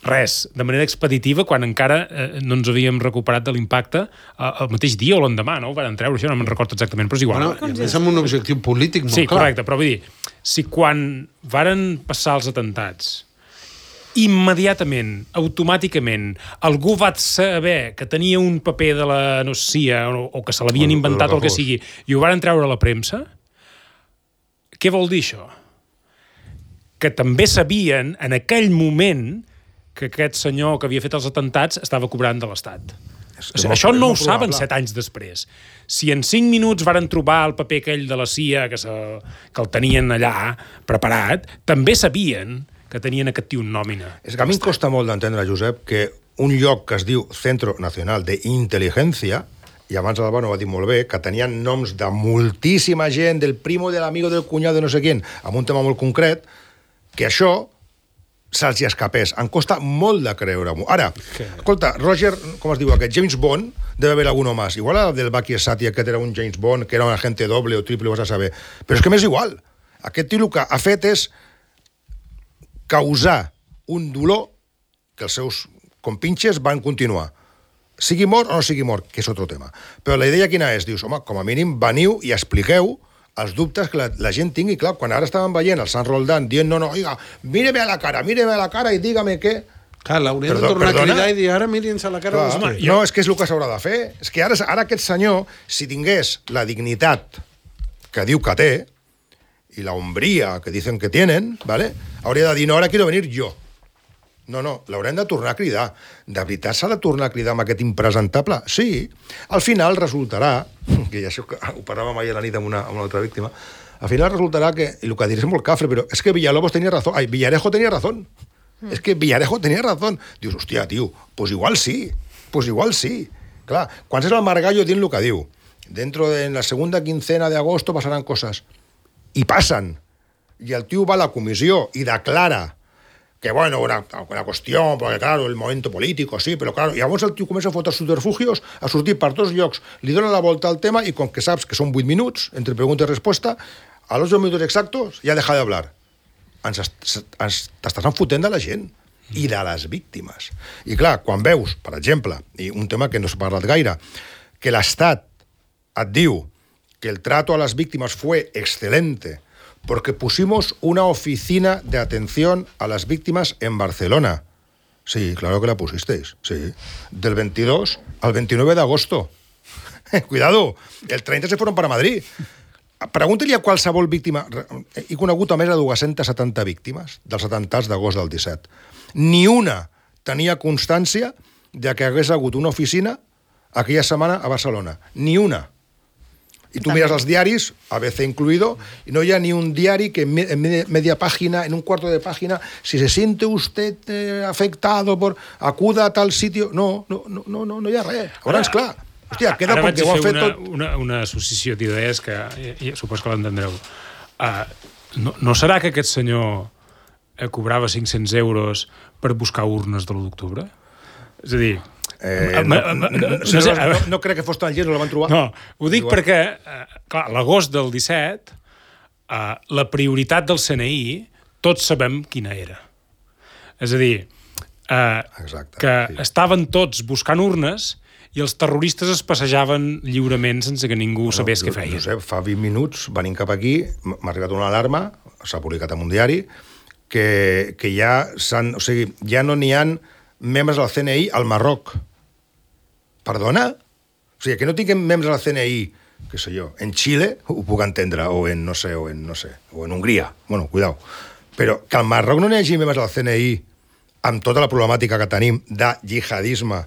Speaker 4: res, de manera expeditiva, quan encara no ens havíem recuperat de l'impacte el mateix dia o l'endemà, no? Ho van treure, això no me'n recordo exactament, però és igual.
Speaker 2: Bueno, és amb un objectiu polític molt clar.
Speaker 4: Sí, correcte, però vull dir, si quan varen passar els atentats, immediatament, automàticament, algú va saber que tenia un paper de la CIA o que se l'havien inventat o el que sigui, i ho varen treure a la premsa, què vol dir això? Que també sabien, en aquell moment, que aquest senyor que havia fet els atentats estava cobrant de l'Estat. Això no ho saben 7 anys després. Si en 5 minuts varen trobar el paper aquell de la CIA que el tenien allà preparat, també sabien que tenien aquest tio en nòmina.
Speaker 3: És que a mi em costa molt d'entendre, Josep, que un lloc que es diu Centro Nacional de Inteligencia, i abans l'Albano ho va dir molt bé, que tenien noms de moltíssima gent, del primo, del amigo, del cunyado, de no sé quién, amb un tema molt concret, que això se'ls hi escapés. Em costa molt de creure-m'ho. Ara, escolta, Roger, com es diu aquest? James Bond, debe haver alguno más. Igual el del Baki Esati, aquest era un James Bond, que era un agente doble o triple, ho vas a saber. Però és que m'és igual. Aquest tio el que ha fet és causar un dolor que els seus compinxes van continuar. Sigui mort o no sigui mort, que és otro tema. Però la idea quina és? Dius, home, com a mínim veniu i expliqueu els dubtes que la gent tingui. Clar, quan ara estaven veient el Sant Roldán dient, no, oiga, míreme a la cara i dígame què.
Speaker 2: Clar, l'haurien de tornar a cridar i dir, ara mirin-se a la cara.
Speaker 3: Clar, no, és que és el que s'haurà de fer. És que ara aquest senyor, si tingués la dignitat que diu que té, i la hombría que dicen que tienen, ¿vale? Hauria de dir, no, ara quiero venir yo. No, l'haurem de tornar a cridar. De veritat s'ha de tornar a cridar amb aquest impresentable? Sí. Al final resultarà, que ja això ho parlàvem ahir a la nit amb una altra víctima, al final resultarà que, i el que diré és molt cafre, però és que Villarejo tenia razón. És que Villarejo tenia razón. Dius, hòstia, tio, pues igual sí. Clar, quan és el Margallo dient el que diu, dentro de la segunda quincena de agosto passaran coses. I passen. I el tio va a la comissió i declara que, bueno, una qüestió, perquè, claro, el moment polític, sí, però, claro, i llavors el tio comença a fotre subterfugios, a sortir per tots llocs, li dona la volta al tema i com que saps que són 8 minuts, entre pregunta i resposta, a los 2 minutos exactos ja deja de hablar. T'estàs enfotent de la gent i de les víctimes. I clar, quan veus, per exemple, i un tema que no s'ha parlat gaire, que l'Estat et diu que el trato a las víctimas fue excelente porque pusimos una oficina de atención a las víctimas en Barcelona. Sí, claro que la pusisteis, sí. Del 22 al 29 de agosto. Cuidado, el 30 se fueron para Madrid. Pregunta-li a qualsevol víctima. He conegut a més de 270 víctimes dels atemptats d'agost del 17. Ni una tenia constància de que hagués hagut una oficina aquella setmana a Barcelona. Ni una. Y tú miras los diarios, ABC incluido, y no hay ni un diario que en media página, en un cuarto de página, si se siente usted afectado por acuda a tal sitio... No hi ha res. Ara és clar. Hòstia, queda com que ho han fet tot...
Speaker 4: Una associació d'idees que supos que l'entendreu. No serà que aquest senyor cobrava 500 euros per buscar urnes de l'1 d'octubre? És a dir...
Speaker 3: No crec que fos tan llest, no la van trobar.
Speaker 4: No, ho dic perquè, clar, l'agost del 17, la prioritat del CNI, tots sabem quina era. És a dir, que estaven tots buscant urnes i els terroristes es passejaven lliurement sense que ningú sabés què feien.
Speaker 3: Josep, fa 20 minuts, venint cap aquí, m'ha arribat una alarma, s'ha publicat en un diari, que ja no n'hi ha membres del CNI al Marroc. Perdona? O sigui, que no tinguem membres del CNI, què sé jo, en Xile, ho puc entendre, o en Hongria. Bueno, cuidao. Però que al Marroc no n'hi hagi membres del CNI amb tota la problemàtica que tenim de jihadisme,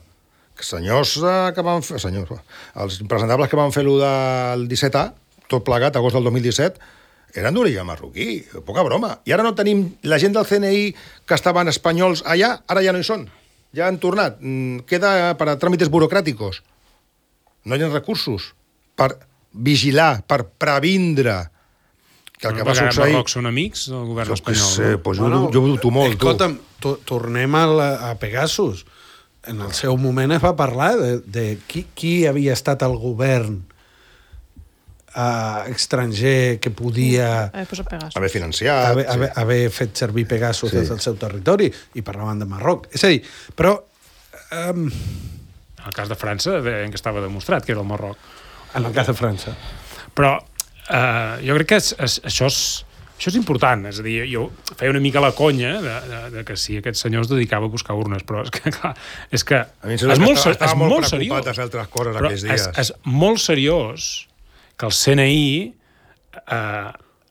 Speaker 3: que senyors que van fer... els impresentables que van fer lo del 17A, tot plegat, agost del 2017, eren d'origen marroquí, poca broma. I ara no tenim la gent del CNI que estaven espanyols allà, ara ja no hi són. Ja han tornat. Queda per a tràmites burocràticos. No hi ha recursos per vigilar, per previndre que el que va succeir...
Speaker 4: Marroc són amics del govern espanyol?
Speaker 3: Pues jo ho dubto molt.
Speaker 2: Escolta'm, tornem a Pegasus. En el seu moment es va parlar de qui havia estat el govern estranger que podia
Speaker 3: haver financiat,
Speaker 2: haver fet servir Pegasus des del seu territori, i parlaven de Marroc. És a dir, però...
Speaker 4: En el cas de França, en què estava demostrat que era el Marroc.
Speaker 2: En el cas de França.
Speaker 4: Però jo crec que això és important. És a dir, jo feia una mica la conya de que si aquest senyor es dedicava a buscar urnes, però és que, clar, és molt seriós. És molt seriós que el CNI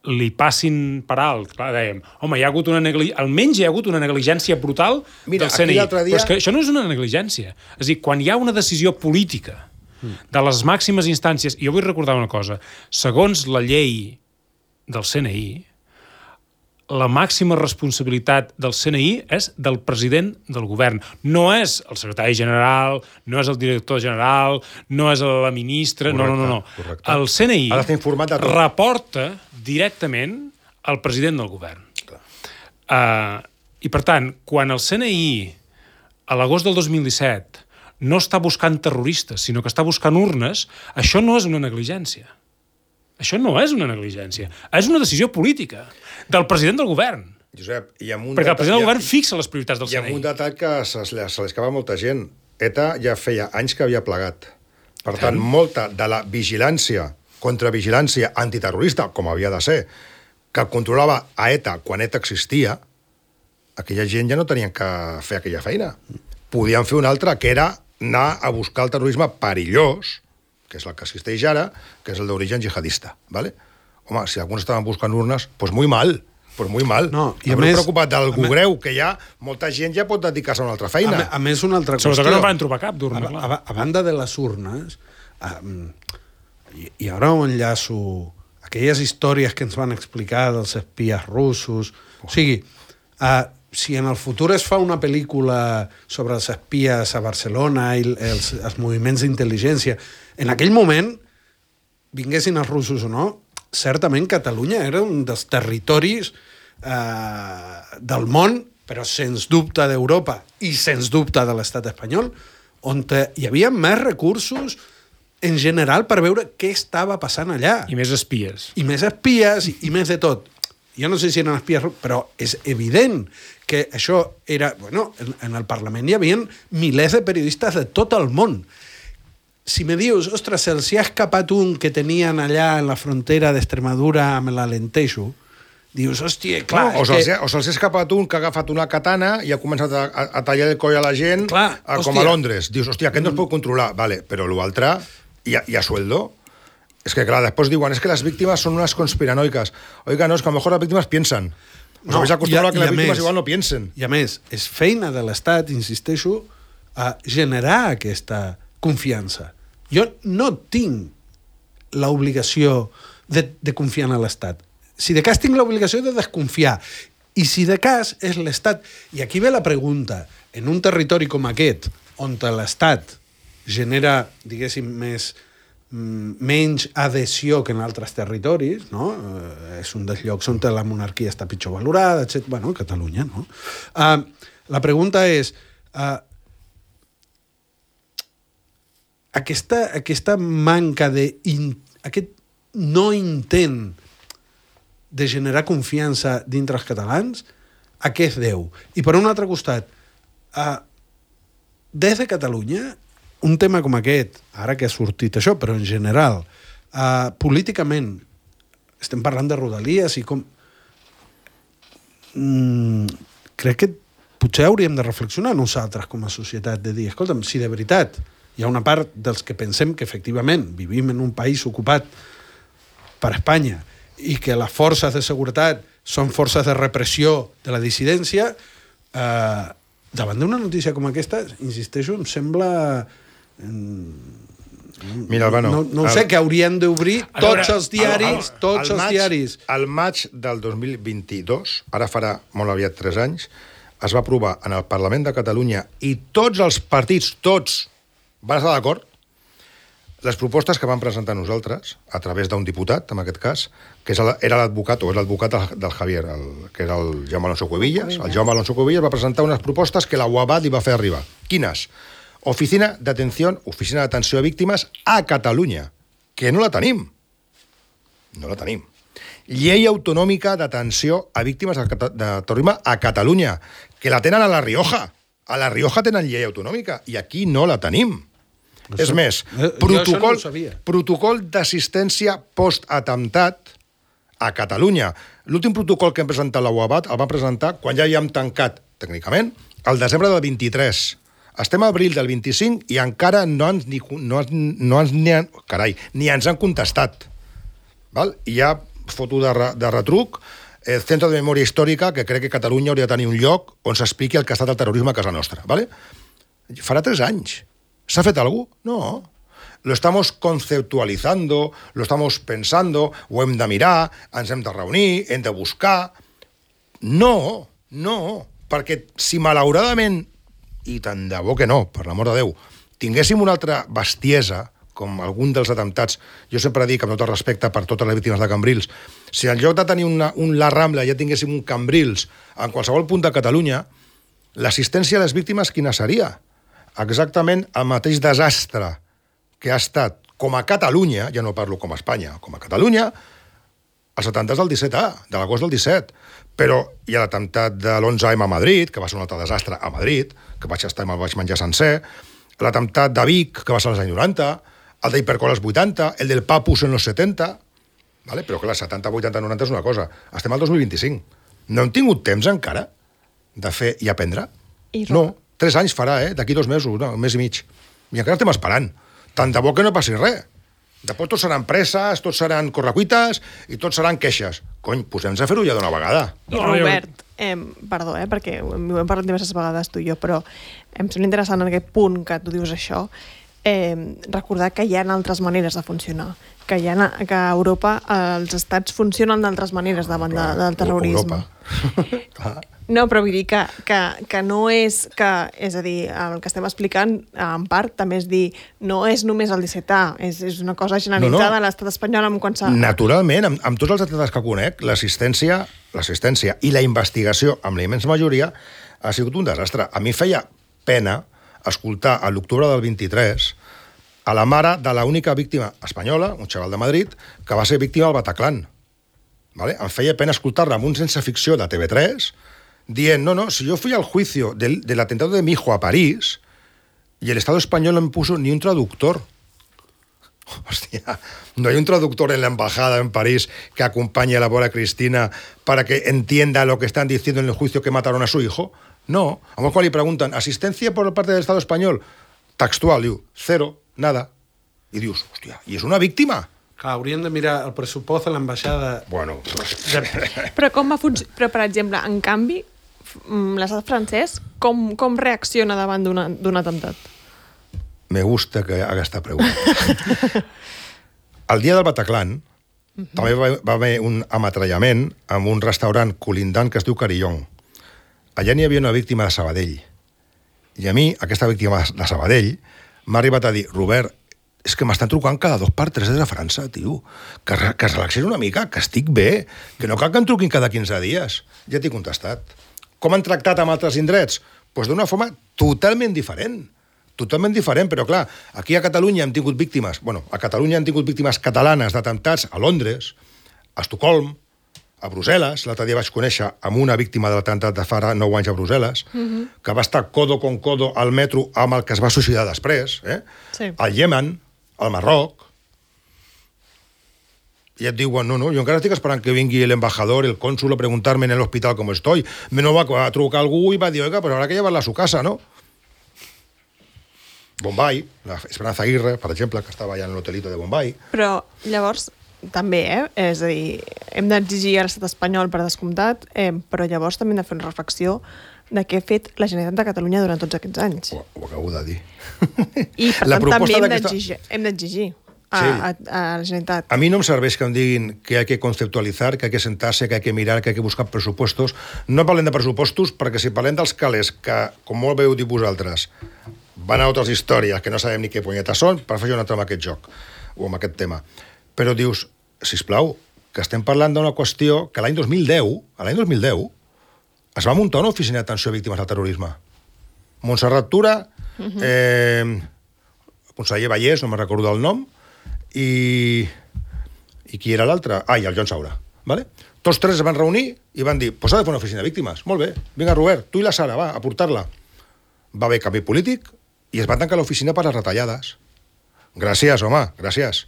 Speaker 4: li passin per alt. Clar, dèiem, home, almenys hi ha hagut una negligència brutal del CNI. Però és que això no és una negligència. És a dir, quan hi ha una decisió política de les màximes instàncies, i jo vull recordar una cosa, segons la llei del CNI, la màxima responsabilitat del CNI és del president del govern. No és el secretari general, no és el director general, no és la ministra... No. El CNI reporta directament al president del govern. I, per tant, quan el CNI, a l'agost del 2017, no està buscant terroristes, sinó que està buscant urnes, això no és una negligència. Això no és una negligència. És una decisió política del president del govern.
Speaker 3: Josep,
Speaker 4: perquè el president del govern fixa les prioritats del CNI.
Speaker 3: Hi ha un detall que se li escapa a molta gent. ETA ja feia anys que havia plegat. Per tant, molta de la vigilància, contravigilància antiterrorista, com havia de ser, que controlava a ETA quan ETA existia, aquella gent ja no tenien que fer aquella feina. Podien fer una altra, que era anar a buscar el terrorisme perillós, que és el que existeix ara, que és el d'origen jihadista, ¿vale? Home, si alguns estaven buscant urnes, pues muy mal.
Speaker 2: No, i
Speaker 3: a més, preocupat d'algú greu, que ja molta gent ja pot dedicar-se a una altra feina.
Speaker 2: A més, una altra qüestió.
Speaker 4: Sobretot que no van trobar cap d'urna.
Speaker 2: A banda de les urnes, i ara ho enllaço, aquelles històries que ens van explicar dels espies russos, o sigui, si en el futur es fa una pel·lícula sobre els espies a Barcelona i els moviments d'intel·ligència, en aquell moment, vinguessin els russos o no, certament Catalunya era un dels territoris del món, però sens dubte d'Europa i sens dubte de l'estat espanyol, on hi havia més recursos en general per veure què estava passant allà.
Speaker 4: I més espies.
Speaker 2: I més espies i més de tot. Jo no sé si eren espies, però és evident que això era... Bueno, en el Parlament hi havia milers de periodistes de tot el món. Si me dius, ostres, se'ls hi ha escapat un que tenien allà en la frontera d'Extremadura amb l'Alentejo, dius, hòstia, clar...
Speaker 3: No, o se'ls ha escapat un que ha agafat una katana i ha començat a tallar el coll a la gent, clar, com a Londres. Dius, hòstia, aquest no es pot controlar. Vale, però l'altre, hi ha sueldo. Es que, clar, después diuen, es que las víctimas son unas conspiranoicas. Oiga, no, es que a lo mejor las víctimas piensan. Us habéis acostumbrado a que les víctimes igual no piensen.
Speaker 2: I a més, és feina de l'Estat, insisteixo, a generar aquesta confiança. Jo no tinc l'obligació de confiar en l'Estat. Si de cas tinc l'obligació de desconfiar. I si de cas és l'Estat... I aquí ve la pregunta. En un territori com aquest, on l'Estat genera, diguéssim, menys adhesió que en altres territoris, no? És un dels llocs on la monarquia està pitjor valorada, etc. Bueno, Catalunya, no? La pregunta és... Aquesta manca aquest no intent de generar confiança dintre els catalans, a què es deu? I per un altre costat, des de Catalunya, un tema com aquest, ara que ha sortit això, però en general, políticament, estem parlant de Rodalies i com... crec que potser hauríem de reflexionar nosaltres com a societat, de dir, escolta'm, si de veritat hi ha una part dels que pensem que efectivament vivim en un país ocupat per Espanya i que les forces de seguretat són forces de repressió de la dissidència, davant d'una notícia com aquesta, insisteixo, em sembla...
Speaker 3: Mira, Albano...
Speaker 2: No sé, que haurien d'obrir tots els diaris, tots els diaris.
Speaker 3: Al maig del 2022, ara farà molt aviat 3 anys, es va aprovar en el Parlament de Catalunya i tots els partits, tots, van estar d'acord les propostes que vam presentar nosaltres, a través d'un diputat, en aquest cas, que era l'advocat, o és l'advocat del Javier, que era el Jaume Alonso Cuevillas. El Jaume Alonso Cuevillas va presentar unes propostes que la UABAT li va fer arribar. Quines? Oficina d'atenció a víctimes a Catalunya, que no la tenim. No la tenim. Llei autonòmica d'atenció a víctimes de terrorisme a Catalunya, que la tenen a La Rioja. A La Rioja tenen llei autonòmica, i aquí no la tenim. És més, protocol d'assistència post-atemptat a Catalunya. L'últim protocol que hem presentat a la UABAT el vam presentar quan ja havíem tancat, tècnicament, el desembre del 23. Estem a abril del 25 i encara ni ens han contestat. Val? I hi ha foto de retruc, el Centre de Memòria Històrica, que crec que Catalunya hauria de tenir un lloc on s'expliqui el que ha estat el terrorisme a casa nostra. Vale? Farà 3 anys. ¿Se ha fet algo? No. Lo estamos conceptualizando, lo estamos pensando, ho hem de mirar, ens hem de reunir, hem de buscar... No, perquè si malauradament, i tant de bo que no, per l'amor de Déu, tinguéssim una altra bestiesa, com algun dels atemptats, jo sempre dic, amb tot el respecte per totes les víctimes de Cambrils, si en lloc de tenir la Rambla ja tinguéssim un Cambrils en qualsevol punt de Catalunya, l'assistència a les víctimes quina seria? Exactament el mateix desastre que ha estat, com a Catalunya, ja no parlo com a Espanya, com a Catalunya, els atemptats del 17A, de l'agost del 17. Però hi ha l'atemptat de l'11M a Madrid, que va ser un altre desastre a Madrid, que vaig estar i me'l vaig menjar sencer, l'atemptat de Vic, que va ser als anys 90, el d'Hipercor als 80, el del Papus en els 70... Vale? Però clar, 70, 80, 90 és una cosa. Estem al 2025. No hem tingut temps encara de fer i aprendre? No. 3 anys farà, d'aquí 2 mesos, un mes i mig. I encara estem esperant. Tant de bo que no passi res. Després tots seran presses, tots seran correcuites i tots seran queixes. Cony, posem-nos a fer-ho ja d'una vegada.
Speaker 1: I Robert, perdó, perquè ho hem parlat diverses vegades tu i jo, però em sembla interessant en aquest punt que tu dius això, recordar que hi ha altres maneres de funcionar, que a Europa els estats funcionen d'altres maneres davant del terrorisme. No, però vull dir que no és que... És a dir, el que estem explicant, en part, també és dir, no és només el 17A, és una cosa generalitzada a l'estat espanyol amb qualsevol...
Speaker 3: Naturalment, amb tots els atletes que conec, l'assistència i la investigació, amb la immensa majoria, ha sigut un desastre. A mi feia pena escoltar a l'octubre del 23 a la mare de l'única víctima espanyola, un xaval de Madrid, que va ser víctima del Bataclan. ¿Vale? Em feia pena escoltar-la amb un sense ficció de TV3 dient, no, si yo fui al juicio del atentado de mi hijo a París y el Estado español no me puso ni un traductor. Hostia, no hay un traductor en la embajada en París que acompañe a la pobre Cristina para que entienda lo que están diciendo en el juicio que mataron a su hijo. No. A lo mejor le preguntan, ¿asistencia por parte del Estado español? Textual, diu, 0, nada. I dius, hòstia, i és una víctima?
Speaker 2: Clar, haurien de mirar el pressupost a l'ambaixada...
Speaker 3: Bueno...
Speaker 1: Però com va funcionar? Però, per exemple, en canvi, l'estat francès, com reacciona davant d'un atemptat?
Speaker 3: Me gusta que haga esta pregunta. El dia del Bataclan també va haver un ametrallament amb un restaurant colindant que es diu Carillon. Allà n'hi havia una víctima de Sabadell. I a mi, aquesta víctima de Sabadell, m'ha arribat a dir, Robert, és que m'estan trucant cada 2 per 3 des de França, tio. Que es relaxés una mica, que estic bé, que no cal que em truquin cada 15 dies. Ja t'he contestat. Com han tractat amb altres indrets? Doncs d'una forma totalment diferent. Totalment diferent, però clar, aquí a Catalunya hem tingut víctimes, a Catalunya hem tingut víctimes catalanes d'atemptats a Londres, a Estocolm, a Brussel·les. L'altre dia vaig conèixer amb una víctima de l'atemptat de fa 9 anys a Brussel·les, que va estar codo con codo al metro amb el que es va suïcidar després,
Speaker 1: Sí.
Speaker 3: al Iemen, al Marroc, i et diuen, no, jo encara estic esperant que vingui l'embajador, el cònsul, a preguntar-me en l'hospital com estoy. Me no va a trucar algú i va dir, oiga, pues habrá que llevarla a su casa, ¿no? Bombay, la Esperanza Aguirre, per exemple, que estava allà en l'hotelito de Bombay.
Speaker 1: Però llavors, també, és a dir, hem d'exigir a l'estat espanyol per descomptat, però llavors també hem de fer una reflexió de què ha fet la Generalitat de Catalunya durant tots aquests anys.
Speaker 3: Ho acabo de dir.
Speaker 1: I per tant també hem d'exigir a la Generalitat.
Speaker 3: A mi no em serveix que em diguin que hay que conceptualizar, que hay que sentarse, que hay que mirar, que hay que buscar pressupostos. No parlem de pressupostos perquè si parlem dels calés, que, com molt bé heu dit vosaltres, van a altres històries que no sabem ni què punyetes són per fer una trama amb aquest joc o amb aquest tema. Però dius, sisplau, que estem parlant d'una qüestió que l'any 2010 es va muntar una oficina d'atenció a víctimes del terrorisme. Montserrat Tura, conseller Vallès, no me'n recordo del nom, i qui era l'altre? I el Joan Saura. ¿Vale? Tots tres es van reunir i van dir, pues s'ha de fer una oficina de víctimes. Molt bé, vinga Robert, tu i la Sara, va, a portar-la. Va haver canvi polític i es va tancar l'oficina per les retallades. Gràcies, home, gràcies.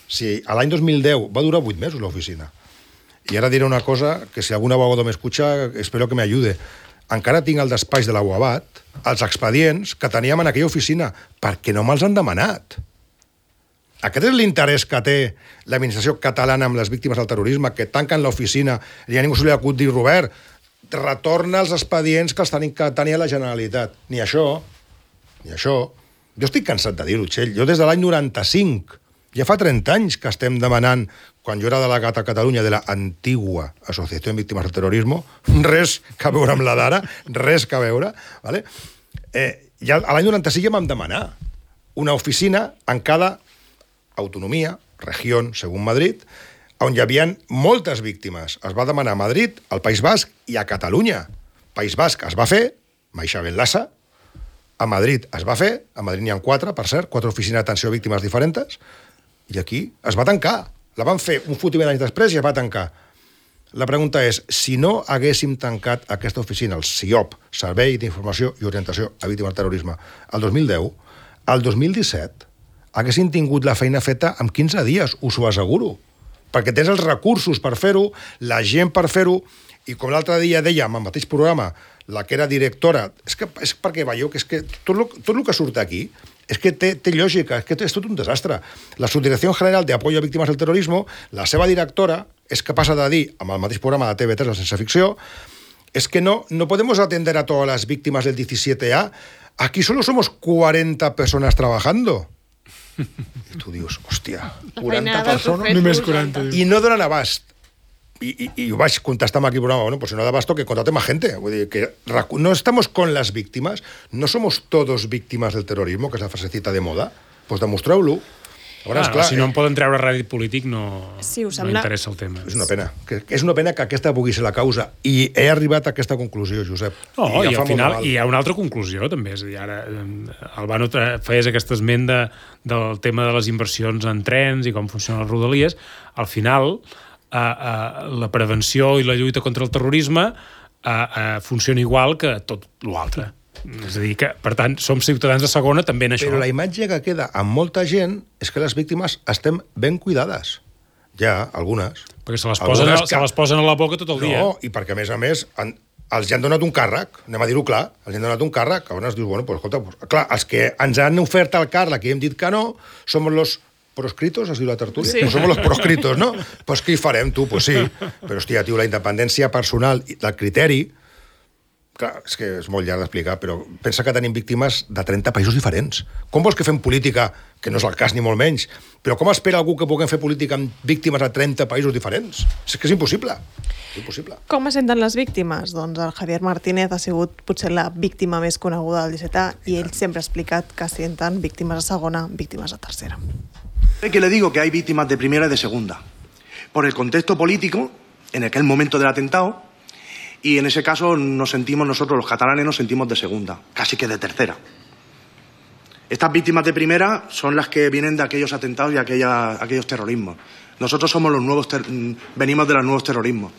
Speaker 3: Sí, a l'any 2010 va durar 8 mesos l'oficina. I ara diré una cosa que si algun abogado m'escucha, espero que me ayude. Encara tinc al despatx de la UABAT els expedients que teníem en aquella oficina perquè no me'ls han demanat. Aquest és l'interès que té l'administració catalana amb les víctimes del terrorisme, que tanquen l'oficina i a ningú se li acut dir, Robert, retorna els expedients que els tenia la Generalitat. Ni això. Jo estic cansat de dir-ho, Txell. Jo des de l'any 95, ja fa 30 anys que estem demanant, quan jo era delegat a Catalunya de la antigua Associació de Víctimes del Terrorisme, res que veure amb la d'ara, res que veure, ¿vale? Ja a l'any 95 ja vam demanar una oficina en cada autonomia, regió, segons Madrid, on hi havia moltes víctimes. Es va demanar a Madrid, al País Basc i a Catalunya. País Basc es va fer, Maixa Benlassa, a Madrid es va fer, a Madrid n'hi ha 4, per cert, 4 oficines d'atenció a víctimes diferents, i aquí es va tancar. La van fer un fotiment d'anys després i es va tancar. La pregunta és, si no haguéssim tancat aquesta oficina, el SIOP, Servei d'Informació i Orientació a Víctimes del Terrorisme, el 2010, el 2017 haguessin tingut la feina feta en 15 dies, us ho asseguro. Perquè tens els recursos per fer-ho, la gent per fer-ho, i com l'altre dia dèiem, al mateix programa, la que era directora, és perquè veieu que tot el que surt aquí és que té lògica, és que és tot un desastre. La Subdirecció General de Apoyo a Víctimes del Terrorismo, la seva directora, és capaç de dir, amb el mateix programa de TV3, la Sense Ficció, es que no podemos atender a todas las víctimas del 17A. Aquí solo somos 40 personas trabajando. I tu dius, hòstia, 40 persones...
Speaker 4: Només 40.
Speaker 3: I no donen abast. Y ho vaig contestar amb aquí programa, bueno, pues si no da abasto que contrate más gente. Vull dir que no estamos con las víctimas, no somos todos víctimas del terrorismo, que és la frasecita de moda, pues demostreu-lo.
Speaker 4: Si no en poden treure rèdit polític, no interessa el tema.
Speaker 3: És una pena. És una pena que aquesta pugui ser la causa. I he arribat a aquesta conclusió, Josep.
Speaker 4: No, i al final hi ha una altra conclusió, també. És a dir, ara Albano feies aquest esment del tema de les inversions en trens i com funcionen les rodalies. Al final, la prevenció i la lluita contra el terrorisme funciona igual que tot l'altre. És a dir, que, per tant, som ciutadans de segona també en això.
Speaker 3: Però la imatge que queda amb molta gent és que les víctimes estem ben cuidades. Ja, algunes.
Speaker 4: Perquè se les posen a la boca tot el dia.
Speaker 3: No, i perquè, a més, els han donat un càrrec, anem a dir-ho clar, els han donat un càrrec, llavors dius, bueno, pues, escolta, pues, clar, els que ens han ofert el càrrec i hem dit que no, som los proscritos, es diu la tertúlia? Sí. No som los proscritos, no? Pues què hi farem, tu? Pues sí. Però, hòstia, tio, la independència personal i del criteri, clar, és que és molt llarg d'explicar, però pensa que tenim víctimes de 30 països diferents. Com vols que fem política, que no és el cas ni molt menys, però com espera algú que puguem fer política amb víctimes de 30 països diferents? És que és impossible. Impossible.
Speaker 1: Com es senten les víctimes? Doncs el Javier Martínez ha sigut potser la víctima més coneguda del 17A i ell sempre ha explicat que senten víctimes de segona, víctimes de tercera.
Speaker 7: Que le digo que hay víctimas de primera y de segunda. Por el contexto político, en aquel momento del atentado, y en ese caso nosotros los catalanes nos sentimos de segunda, casi que de tercera. Estas víctimas de primera son las que vienen de aquellos atentados y aquellos terrorismos. Nosotros somos venimos de los nuevos terrorismos.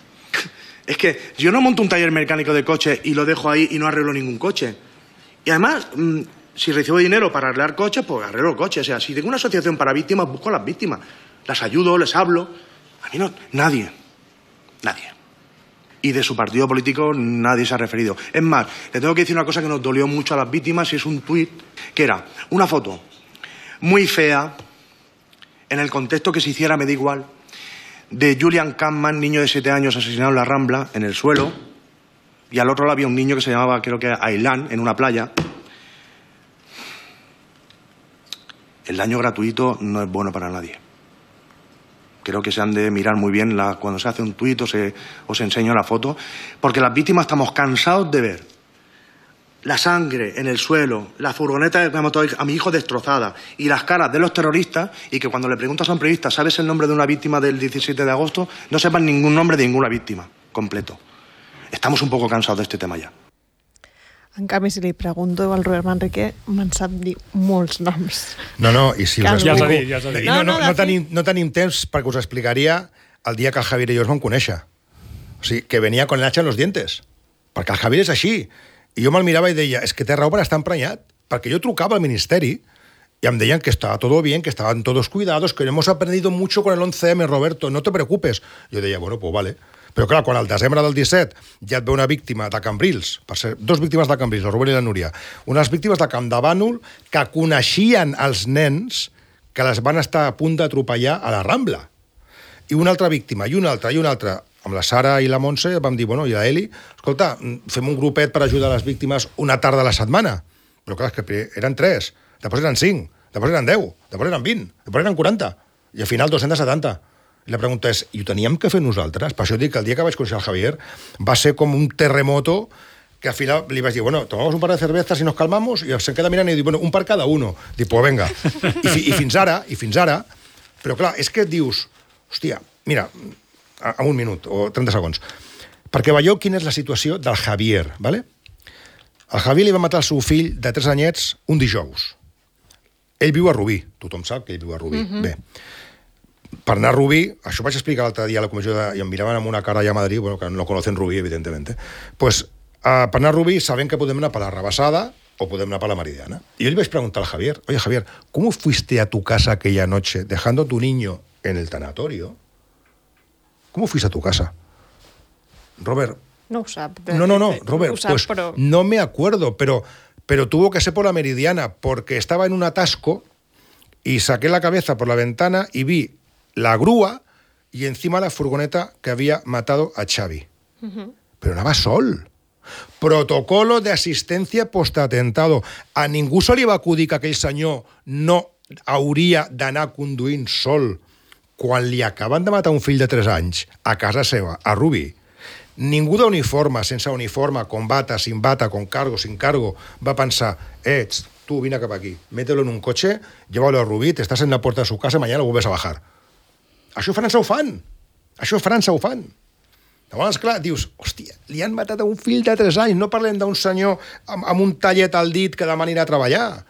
Speaker 7: Es que yo no monto un taller mecánico de coches y lo dejo ahí y no arreglo ningún coche. Y además, si recibo dinero para arreglar coches, pues arreglo coches. O sea, si tengo una asociación para víctimas, busco a las víctimas. Las ayudo, les hablo. A mí no, nadie. Y de su partido político nadie se ha referido. Es más, le tengo que decir una cosa que nos dolió mucho a las víctimas y es un tuit que era una foto muy fea, en el contexto que se hiciera me da igual, de Julian Kampman, niño de 7 años asesinado en la Rambla, en el suelo, y al otro lado había un niño que se llamaba, creo que Ailán, en una playa. El daño gratuito no es bueno para nadie. Creo que se han de mirar muy bien cuando se hace un tuit o se enseña la foto, porque las víctimas estamos cansados de ver la sangre en el suelo, la furgoneta de crematorio a mi hijo destrozada y las caras de los terroristas, y que cuando le preguntas a un periodista ¿sabes el nombre de una víctima del 17 de agosto? No sepan ningún nombre de ninguna víctima, completo. Estamos un poco cansados de este tema ya.
Speaker 1: En canvi, si li pregunto al Robert Manrique, me'n sap dir molts noms.
Speaker 3: No, i si us
Speaker 4: Ja
Speaker 3: explico...
Speaker 4: s'ha dit.
Speaker 3: No tenim temps perquè us explicaria el dia que el Javier i jo es vam conèixer. O sigui, que venia con el hacha en los dientes. Perquè el Javier és així. I jo me'l mirava i deia, és que té raó per estar emprenyat. Perquè jo trucava al ministeri y me decían que estaba todo bien, que estaban todos cuidados, que hemos aprendido mucho con el 11M, Roberto, no te preocupes. Jo deia, bueno, pues vale. Però clar, quan al desembre del 17 ja et ve una víctima de Cambrils, per ser dos víctimes de Cambrils, el Rubén i la Núria, unes víctimes de Campdevànol que coneixien els nens que les van estar a punt d'atropellar a la Rambla. I una altra víctima, i una altra. Amb la Sara i la Montse vam dir, bueno, i l'Eli, escolta, fem un grupet per ajudar les víctimes una tarda a la setmana. Però clar, és que eren 3, després eren 5, després eren 10, després eren 20, després eren 40, i al final 270. I la pregunta és, i ho teníem que fer nosaltres? Per això dic que el dia que vaig conèixer el Javier va ser com un terremoto que al final li vaig dir, bueno, tomamos un par de cervezas y nos calmamos, i se'n queda mirant i diu, bueno, un per cada uno. Dic, pues venga. I fins ara, però clar, és que et dius, hòstia, mira, a un minut o 30 segons, perquè veieu quina és la situació del Javier, ¿vale? El Javier li va matar el seu fill de 3 anyets un dijous. Ell viu a Rubí, tothom sap que ell viu a Rubí. Bé, per anar a Rubí, això vaig explicar l'altre dia a la comissió i em miraven amb una cara allà a Madrid, bueno, que no conocen Rubí, evidentemente. Pues, per anar a Rubí sabem que podem anar per la Rabassada o podem anar per la Meridiana. Y yo le iba a preguntar al Javier, oye, Javier, ¿cómo fuiste a tu casa aquella noche dejando a tu niño en el tanatorio? ¿Cómo fuiste a tu casa? Robert.
Speaker 1: No ho sap.
Speaker 3: No, Robert,
Speaker 1: sap,
Speaker 3: pues
Speaker 1: però...
Speaker 3: no me acuerdo, pero tuvo que ser por la Meridiana, porque estaba en un atasco y saqué la cabeza por la ventana y vi la grúa y encima la furgoneta que había matado a Xavi. Pero anava sol. Protocolo de assistència postatentado. A ningú se li va acudir que aquell senyor no hauria d'anar conduint sol quan li acaben de matar un fill de 3 anys a casa seva, a Rubí. Ningú d'uniforme, sense uniforme, con bata, sin bata, con cargo, sin cargo, va pensar, tú vine cap aquí, mételo en un coche, llévalo a Rubí, te estás en la puerta de su casa, mañana lo vuelves a bajar. Això a França ho fan. Llavors, clar, dius, hòstia, li han matat a un fill de 3 anys, no parlem d'un senyor amb un tallet al dit que demà anirà a treballar.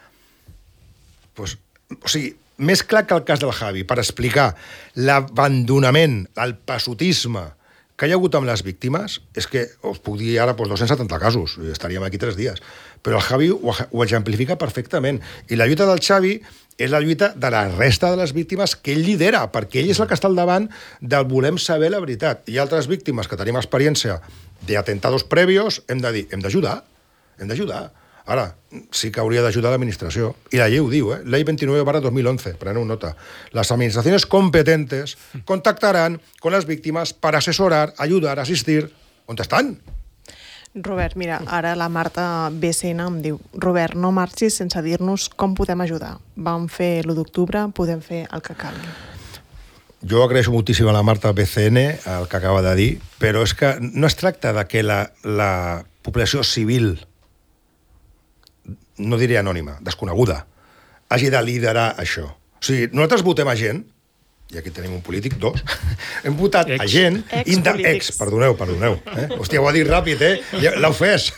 Speaker 3: Pues, o sigui, més clar que el cas del Javi, per explicar l'abandonament, el passotisme que hi ha hagut amb les víctimes, és que us puc dir ara 270 casos, estaríem aquí 3 dies, però el Javi ho exemplifica perfectament. I la lluita del Xavi és la lluita de la resta de les víctimes que ell lidera, perquè ell és el que està al davant del volem saber la veritat. Hi ha altres víctimes que tenim experiència d'atentados previos, hem de dir, hem d'ajudar. Ara, sí que hauria d'ajudar l'administració. I la llei ho diu, Ley 29/2011, preneu nota. Las administraciones competentes contactarán con las víctimas para asesorar, ayudar, asistir. On estan?
Speaker 1: Robert, mira, ara la Marta BCN em diu, Robert, no marxis sense dir-nos com podem ajudar. Vam fer l'1 d'octubre, podem fer el que calgui.
Speaker 3: Jo agraeixo moltíssim a la Marta BCN el que acaba de dir, però és que no es tracta de que la població civil, no diré anònima, desconeguda, hagi de liderar això. O sigui, nosaltres votem a gent, i aquí tenim un polític, 2, hem votat a gent... Perdoneu. Hòstia, ho ha dit ràpid, l'ha ofès.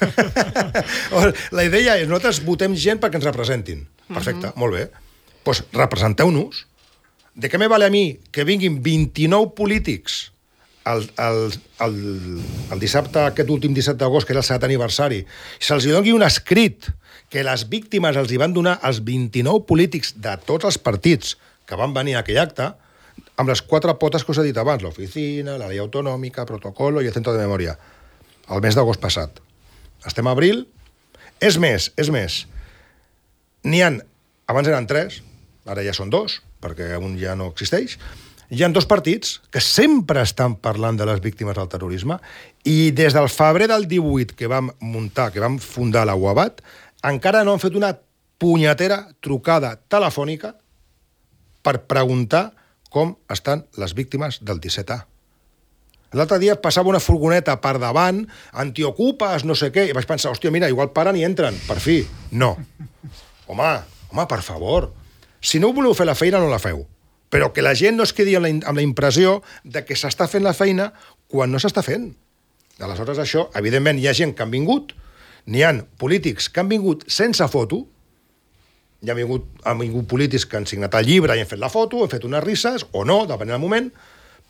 Speaker 3: La idea és, nosaltres votem gent perquè ens representin. Perfecte, molt bé. Doncs representeu-nos. De què me vale a mi que vinguin 29 polítics el dissabte, aquest últim 17 d'agost, que era el 7è aniversari, se'ls doni un escrit que les víctimes els hi van donar als 29 polítics de tots els partits que van venir a aquell acte, amb les 4 potes que us he dit abans, l'oficina, la llei autonòmica, protocolo i el centre de memòria, el mes d'agost passat. Estem a abril. És més, n'hi ha, abans eren 3, ara ja són 2, perquè un ja no existeix. Hi ha 2 partits que sempre estan parlant de les víctimes del terrorisme i des del febrer del 18 que vam muntar, que vam fundar la UABAT, encara no han fet una punyetera trucada telefònica per preguntar com estan les víctimes del 17A. L'altre dia passava una furgoneta per davant, antiocupes, no sé què, i vaig pensar, hòstia, mira, igual paren i entren, per fi. No. Home, per favor. Si no voleu fer la feina, no la feu. Però que la gent no es quedi amb la impressió de que s'està fent la feina quan no s'està fent. Aleshores, això, evidentment, hi ha gent que han vingut, n'hi ha polítics que han vingut sense foto, han vingut polítics que han signat el llibre i han fet la foto, han fet unes risses, o no, depenent del moment,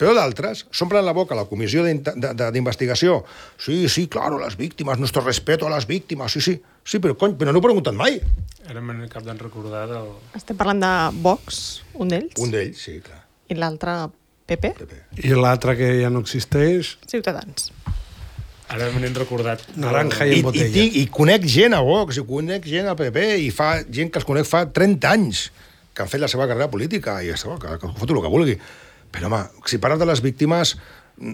Speaker 3: però d'altres s'omplen la boca a la comissió d'investigació. Sí, claro, les víctimes, nuestro respeto a les víctimes, sí, però no ho he preguntat mai.
Speaker 4: Ara m'he cap d'en recordar del...
Speaker 1: Estem parlant de Vox, un d'ells?
Speaker 3: Un d'ells, sí, clar.
Speaker 1: I l'altre, PP?
Speaker 2: I l'altre que ja no existeix...
Speaker 1: Ciutadans.
Speaker 4: Ara me n'he recordat...
Speaker 2: Naranja i en botella.
Speaker 3: I conec gent a Vox, i conec gent al PP, i fa gent que els conec fa 30 anys que han fet la seva carrera política, i que foto el que vulgui. Però, home, si parles de les víctimes,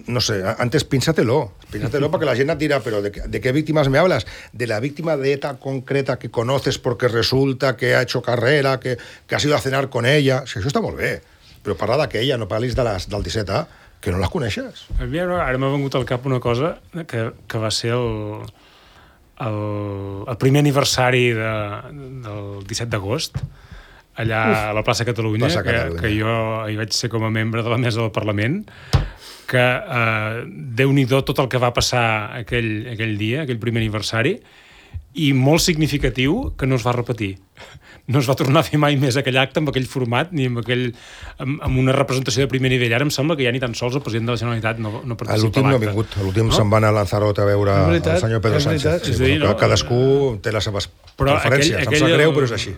Speaker 3: no sé, antes pínsatelo perquè la gent et dirà, però ¿de qué víctimas me hablas? De la víctima de ETA concreta que conoces porque resulta que ha hecho carrera, que has ido a cenar con ella... Si això està molt bé, però parla d'aquella, no parlis del 17A, que no les coneixes.
Speaker 4: Ara m'ha vengut al cap una cosa que va ser el primer aniversari del 17 d'agost, allà a la plaça Catalunya, que jo hi vaig ser com a membre de la mesa del Parlament, que Déu-n'hi-do tot el que va passar aquell dia, aquell primer aniversari, i molt significatiu que no es va repetir. No es va tornar a fer mai més aquell acte amb aquell format ni amb una representació de primer nivell. Ara em sembla que ja ni tan sols el president de la Generalitat no participa a l'acte.
Speaker 3: L'últim no ha vingut. L'últim se'n va anar a Lanzarote a veure el senyor Pedro Sánchez. Cadascú té les seves preferències. Em sap greu, però és així.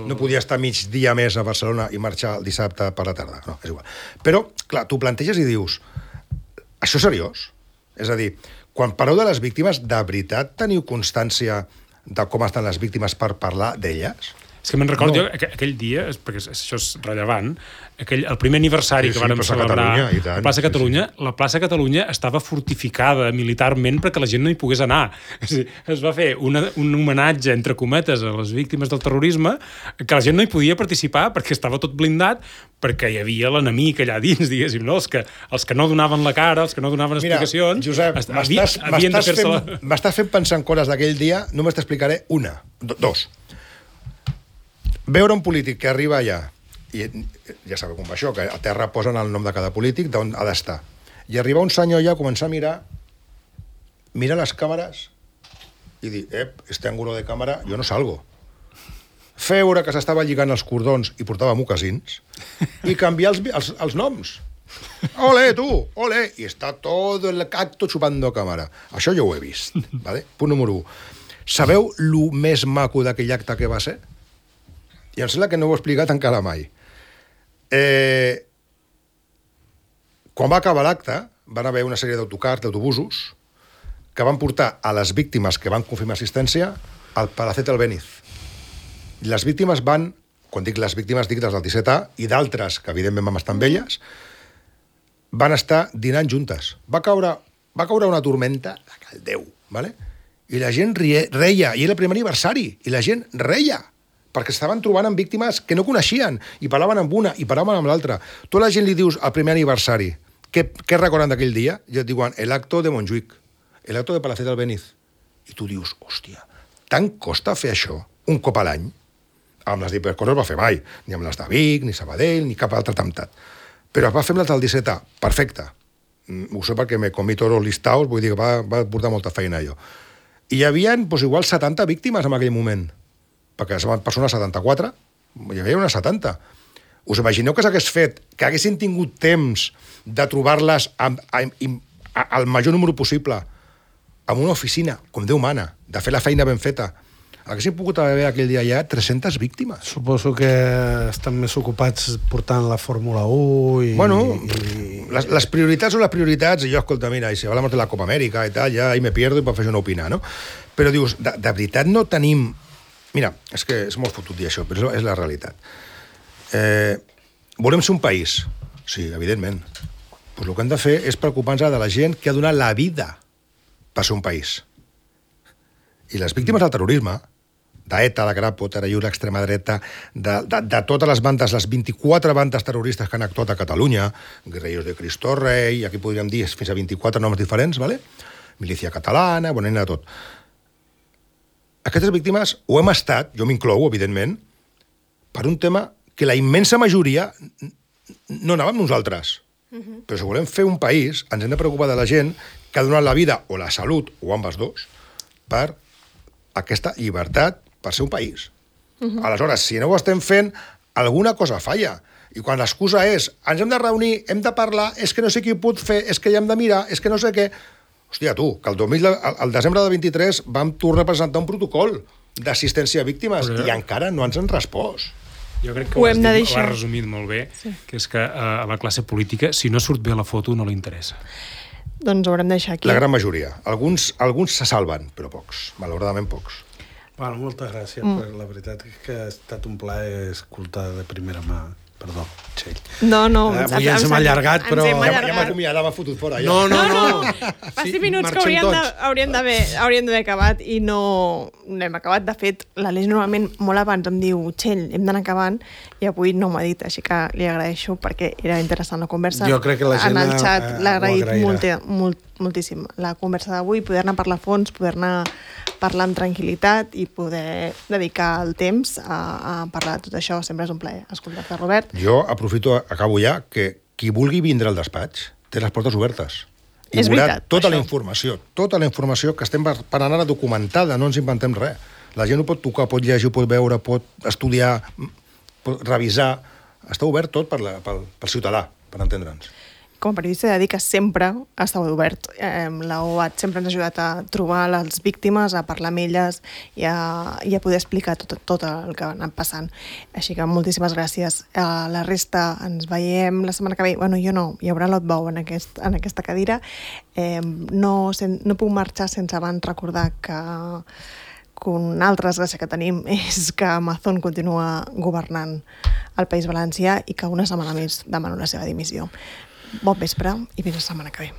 Speaker 3: No podia estar mig dia més a Barcelona i marxar el dissabte per la tarda. No, és igual. Però, clar, tu planteges i dius, això és seriós? És a dir, quan parleu de les víctimes, de veritat teniu constància de com estan les víctimes per parlar d'elles?
Speaker 4: És que me'n recordo aquell dia, perquè això és rellevant, el primer aniversari que vàrem celebrar a la plaça Catalunya, la plaça Catalunya estava fortificada militarment perquè la gent no hi pogués anar. Es va fer un homenatge, entre cometes, a les víctimes del terrorisme, que la gent no hi podia participar perquè estava tot blindat, perquè hi havia l'enemic allà dins, diguéssim, no? Els que no donaven la cara, els que no donaven explicacions...
Speaker 3: Mira, Josep, m'estàs fent pensar en coses d'aquell dia, només t'explicaré dos. Veure un polític que arriba allà, i ja sabeu com va això, que a terra posen el nom de cada polític, d'on ha d'estar. I arriba un senyor allà a començar a mirar les càmeres i dir, este ángulo de càmera, jo no salgo. Veure que s'estava lligant els cordons i portava mocasins i canviar els noms. Ole, tu, ole! I està tot el acto chupando càmera. Això jo ho he vist. Vale? Punt número 1. Sabeu lo més maco d'aquell acte que va ser? I em sembla que no ho he explicat encara mai. Quan va acabar l'acte, van haver una sèrie d'autocars, d'autobusos, que van portar a les víctimes que van confirmar assistència al Palacete Albéniz. I les víctimes van, quan dic les víctimes, dic des del 17A, i d'altres, que evidentment vam estar amb elles, van estar dinant juntes. Va caure una tormenta de cal Déu, ¿vale? I la gent reia, i era el primer aniversari, i la gent reia, perquè estaven trobant amb víctimes que no coneixien, i parlaven amb una, i parlaven amb l'altra. Tu a la gent li dius al primer aniversari, què recorden d'aquell dia? I et diuen, el acto de Montjuïc, el acto de Palacete Albéniz. I tu dius, hòstia, tant costa fer això un cop a l'any? Amb les diferents coses va fer mai, ni amb les de Vic, ni Sabadell, ni cap altre temptat. Però es va fer amb les del 17A, perfecte. Ho sé perquè me comí tots els listaus, vull dir que va portar molta feina allò. I hi havia, igual 70 víctimes en aquell moment, perquè van passar unes 74, hi havia unes 70. Us imagineu que s'hagués fet, que haguessin tingut temps de trobar-les al major número possible, en una oficina, com Déu mana, de fer la feina ben feta? Haguessin pogut haver aquell dia ja 300 víctimes.
Speaker 2: Suposo que estan més ocupats portant la Fórmula 1 i...
Speaker 3: Bueno, les prioritats són les prioritats, i jo, escolta, mira, si hablamos de la Copa Amèrica i tal, ja ahí me pierdo i per fer això no opinar, no? Però dius, de veritat no tenim... Mira, és que és molt fotut dir això, però és la realitat. Volem ser un país? Sí, evidentment. Pues el que hem de fer és preocupar-nos de la gent que ha donat la vida per ser un país. I les víctimes del terrorisme, d'ETA, la Grapo, Terallur, l'extrema dreta, de totes les bandes, les 24 bandes terroristes que han actuat a Catalunya, Guerrillos de Cristo Rei, aquí podríem dir fins a 24 noms diferents, ¿vale? Milícia catalana, bueno, de tot. Aquestes víctimes ho hem estat, jo m'inclou, evidentment, per un tema que la immensa majoria no anàvem nosaltres. Però si volem fer un país, ens hem de preocupar de la gent que ha donat la vida o la salut, o ambes dos, per aquesta llibertat, per ser un país. Aleshores, si no ho estem fent, alguna cosa falla. I quan l'excusa és, ens hem de reunir, hem de parlar, és que no sé qui ho pot fer, és que ja hem de mirar, és que no sé què... Hòstia, tu, que el desembre del 23 vam tornar a presentar un protocol d'assistència a víctimes i encara no ens han respost.
Speaker 4: Jo crec que ho has resumit molt bé, que és que a la classe política, si no surt bé la foto, no li interessa.
Speaker 1: Doncs ho haurem de deixar aquí.
Speaker 3: La gran majoria. Alguns se salven, però pocs. Malauradament pocs.
Speaker 2: Bueno, moltes gràcies. La veritat és que ha estat un plaer escoltar de primera mà. Perdó, Txell.
Speaker 1: No.
Speaker 2: Avui ens hem allargat, però...
Speaker 3: Ja m'ha acomiadat, m'ha fotut fora. Ja.
Speaker 2: No.
Speaker 1: Fa 5 minuts que hauríem d'haver acabat i no hem acabat. De fet, l'Aleix normalment molt abans em diu Txell, hem d'anar acabant, i avui no m'ha dit, així que li agraeixo perquè era interessant la conversa.
Speaker 2: Jo crec que la gent
Speaker 1: en el xat l'ha agraït moltíssim. La conversa d'avui, poder-ne parlar a fons, poder-ne parlar amb tranquil·litat i poder dedicar el temps a parlar de tot això. Sempre és un plaer escoltar-te, Robert.
Speaker 3: Jo aprofito, acabo ja, que qui vulgui vindre al despatx té les portes obertes. I veurà tota la informació que estem parlant ara documentada, no ens inventem res. La gent ho pot tocar, pot llegir, pot veure, pot estudiar, pot revisar. Està obert tot pel ciutadà, per entendre'ns.
Speaker 1: Com a periodista he de dir que sempre ha estat obert. La OAT sempre ens ha ajudat a trobar les víctimes, a parlar amb elles i a poder explicar tot el que ha anat passant. Així que moltíssimes gràcies. A la resta ens veiem la setmana que ve. Bueno, jo no, hi haurà l'Otbou en aquesta cadira. No puc marxar sense abans recordar que una altra desgràcia que tenim és que Amazon continua governant el País Valencià i que una setmana més demano la seva dimissió. Bon vespre i fins la setmana que ve.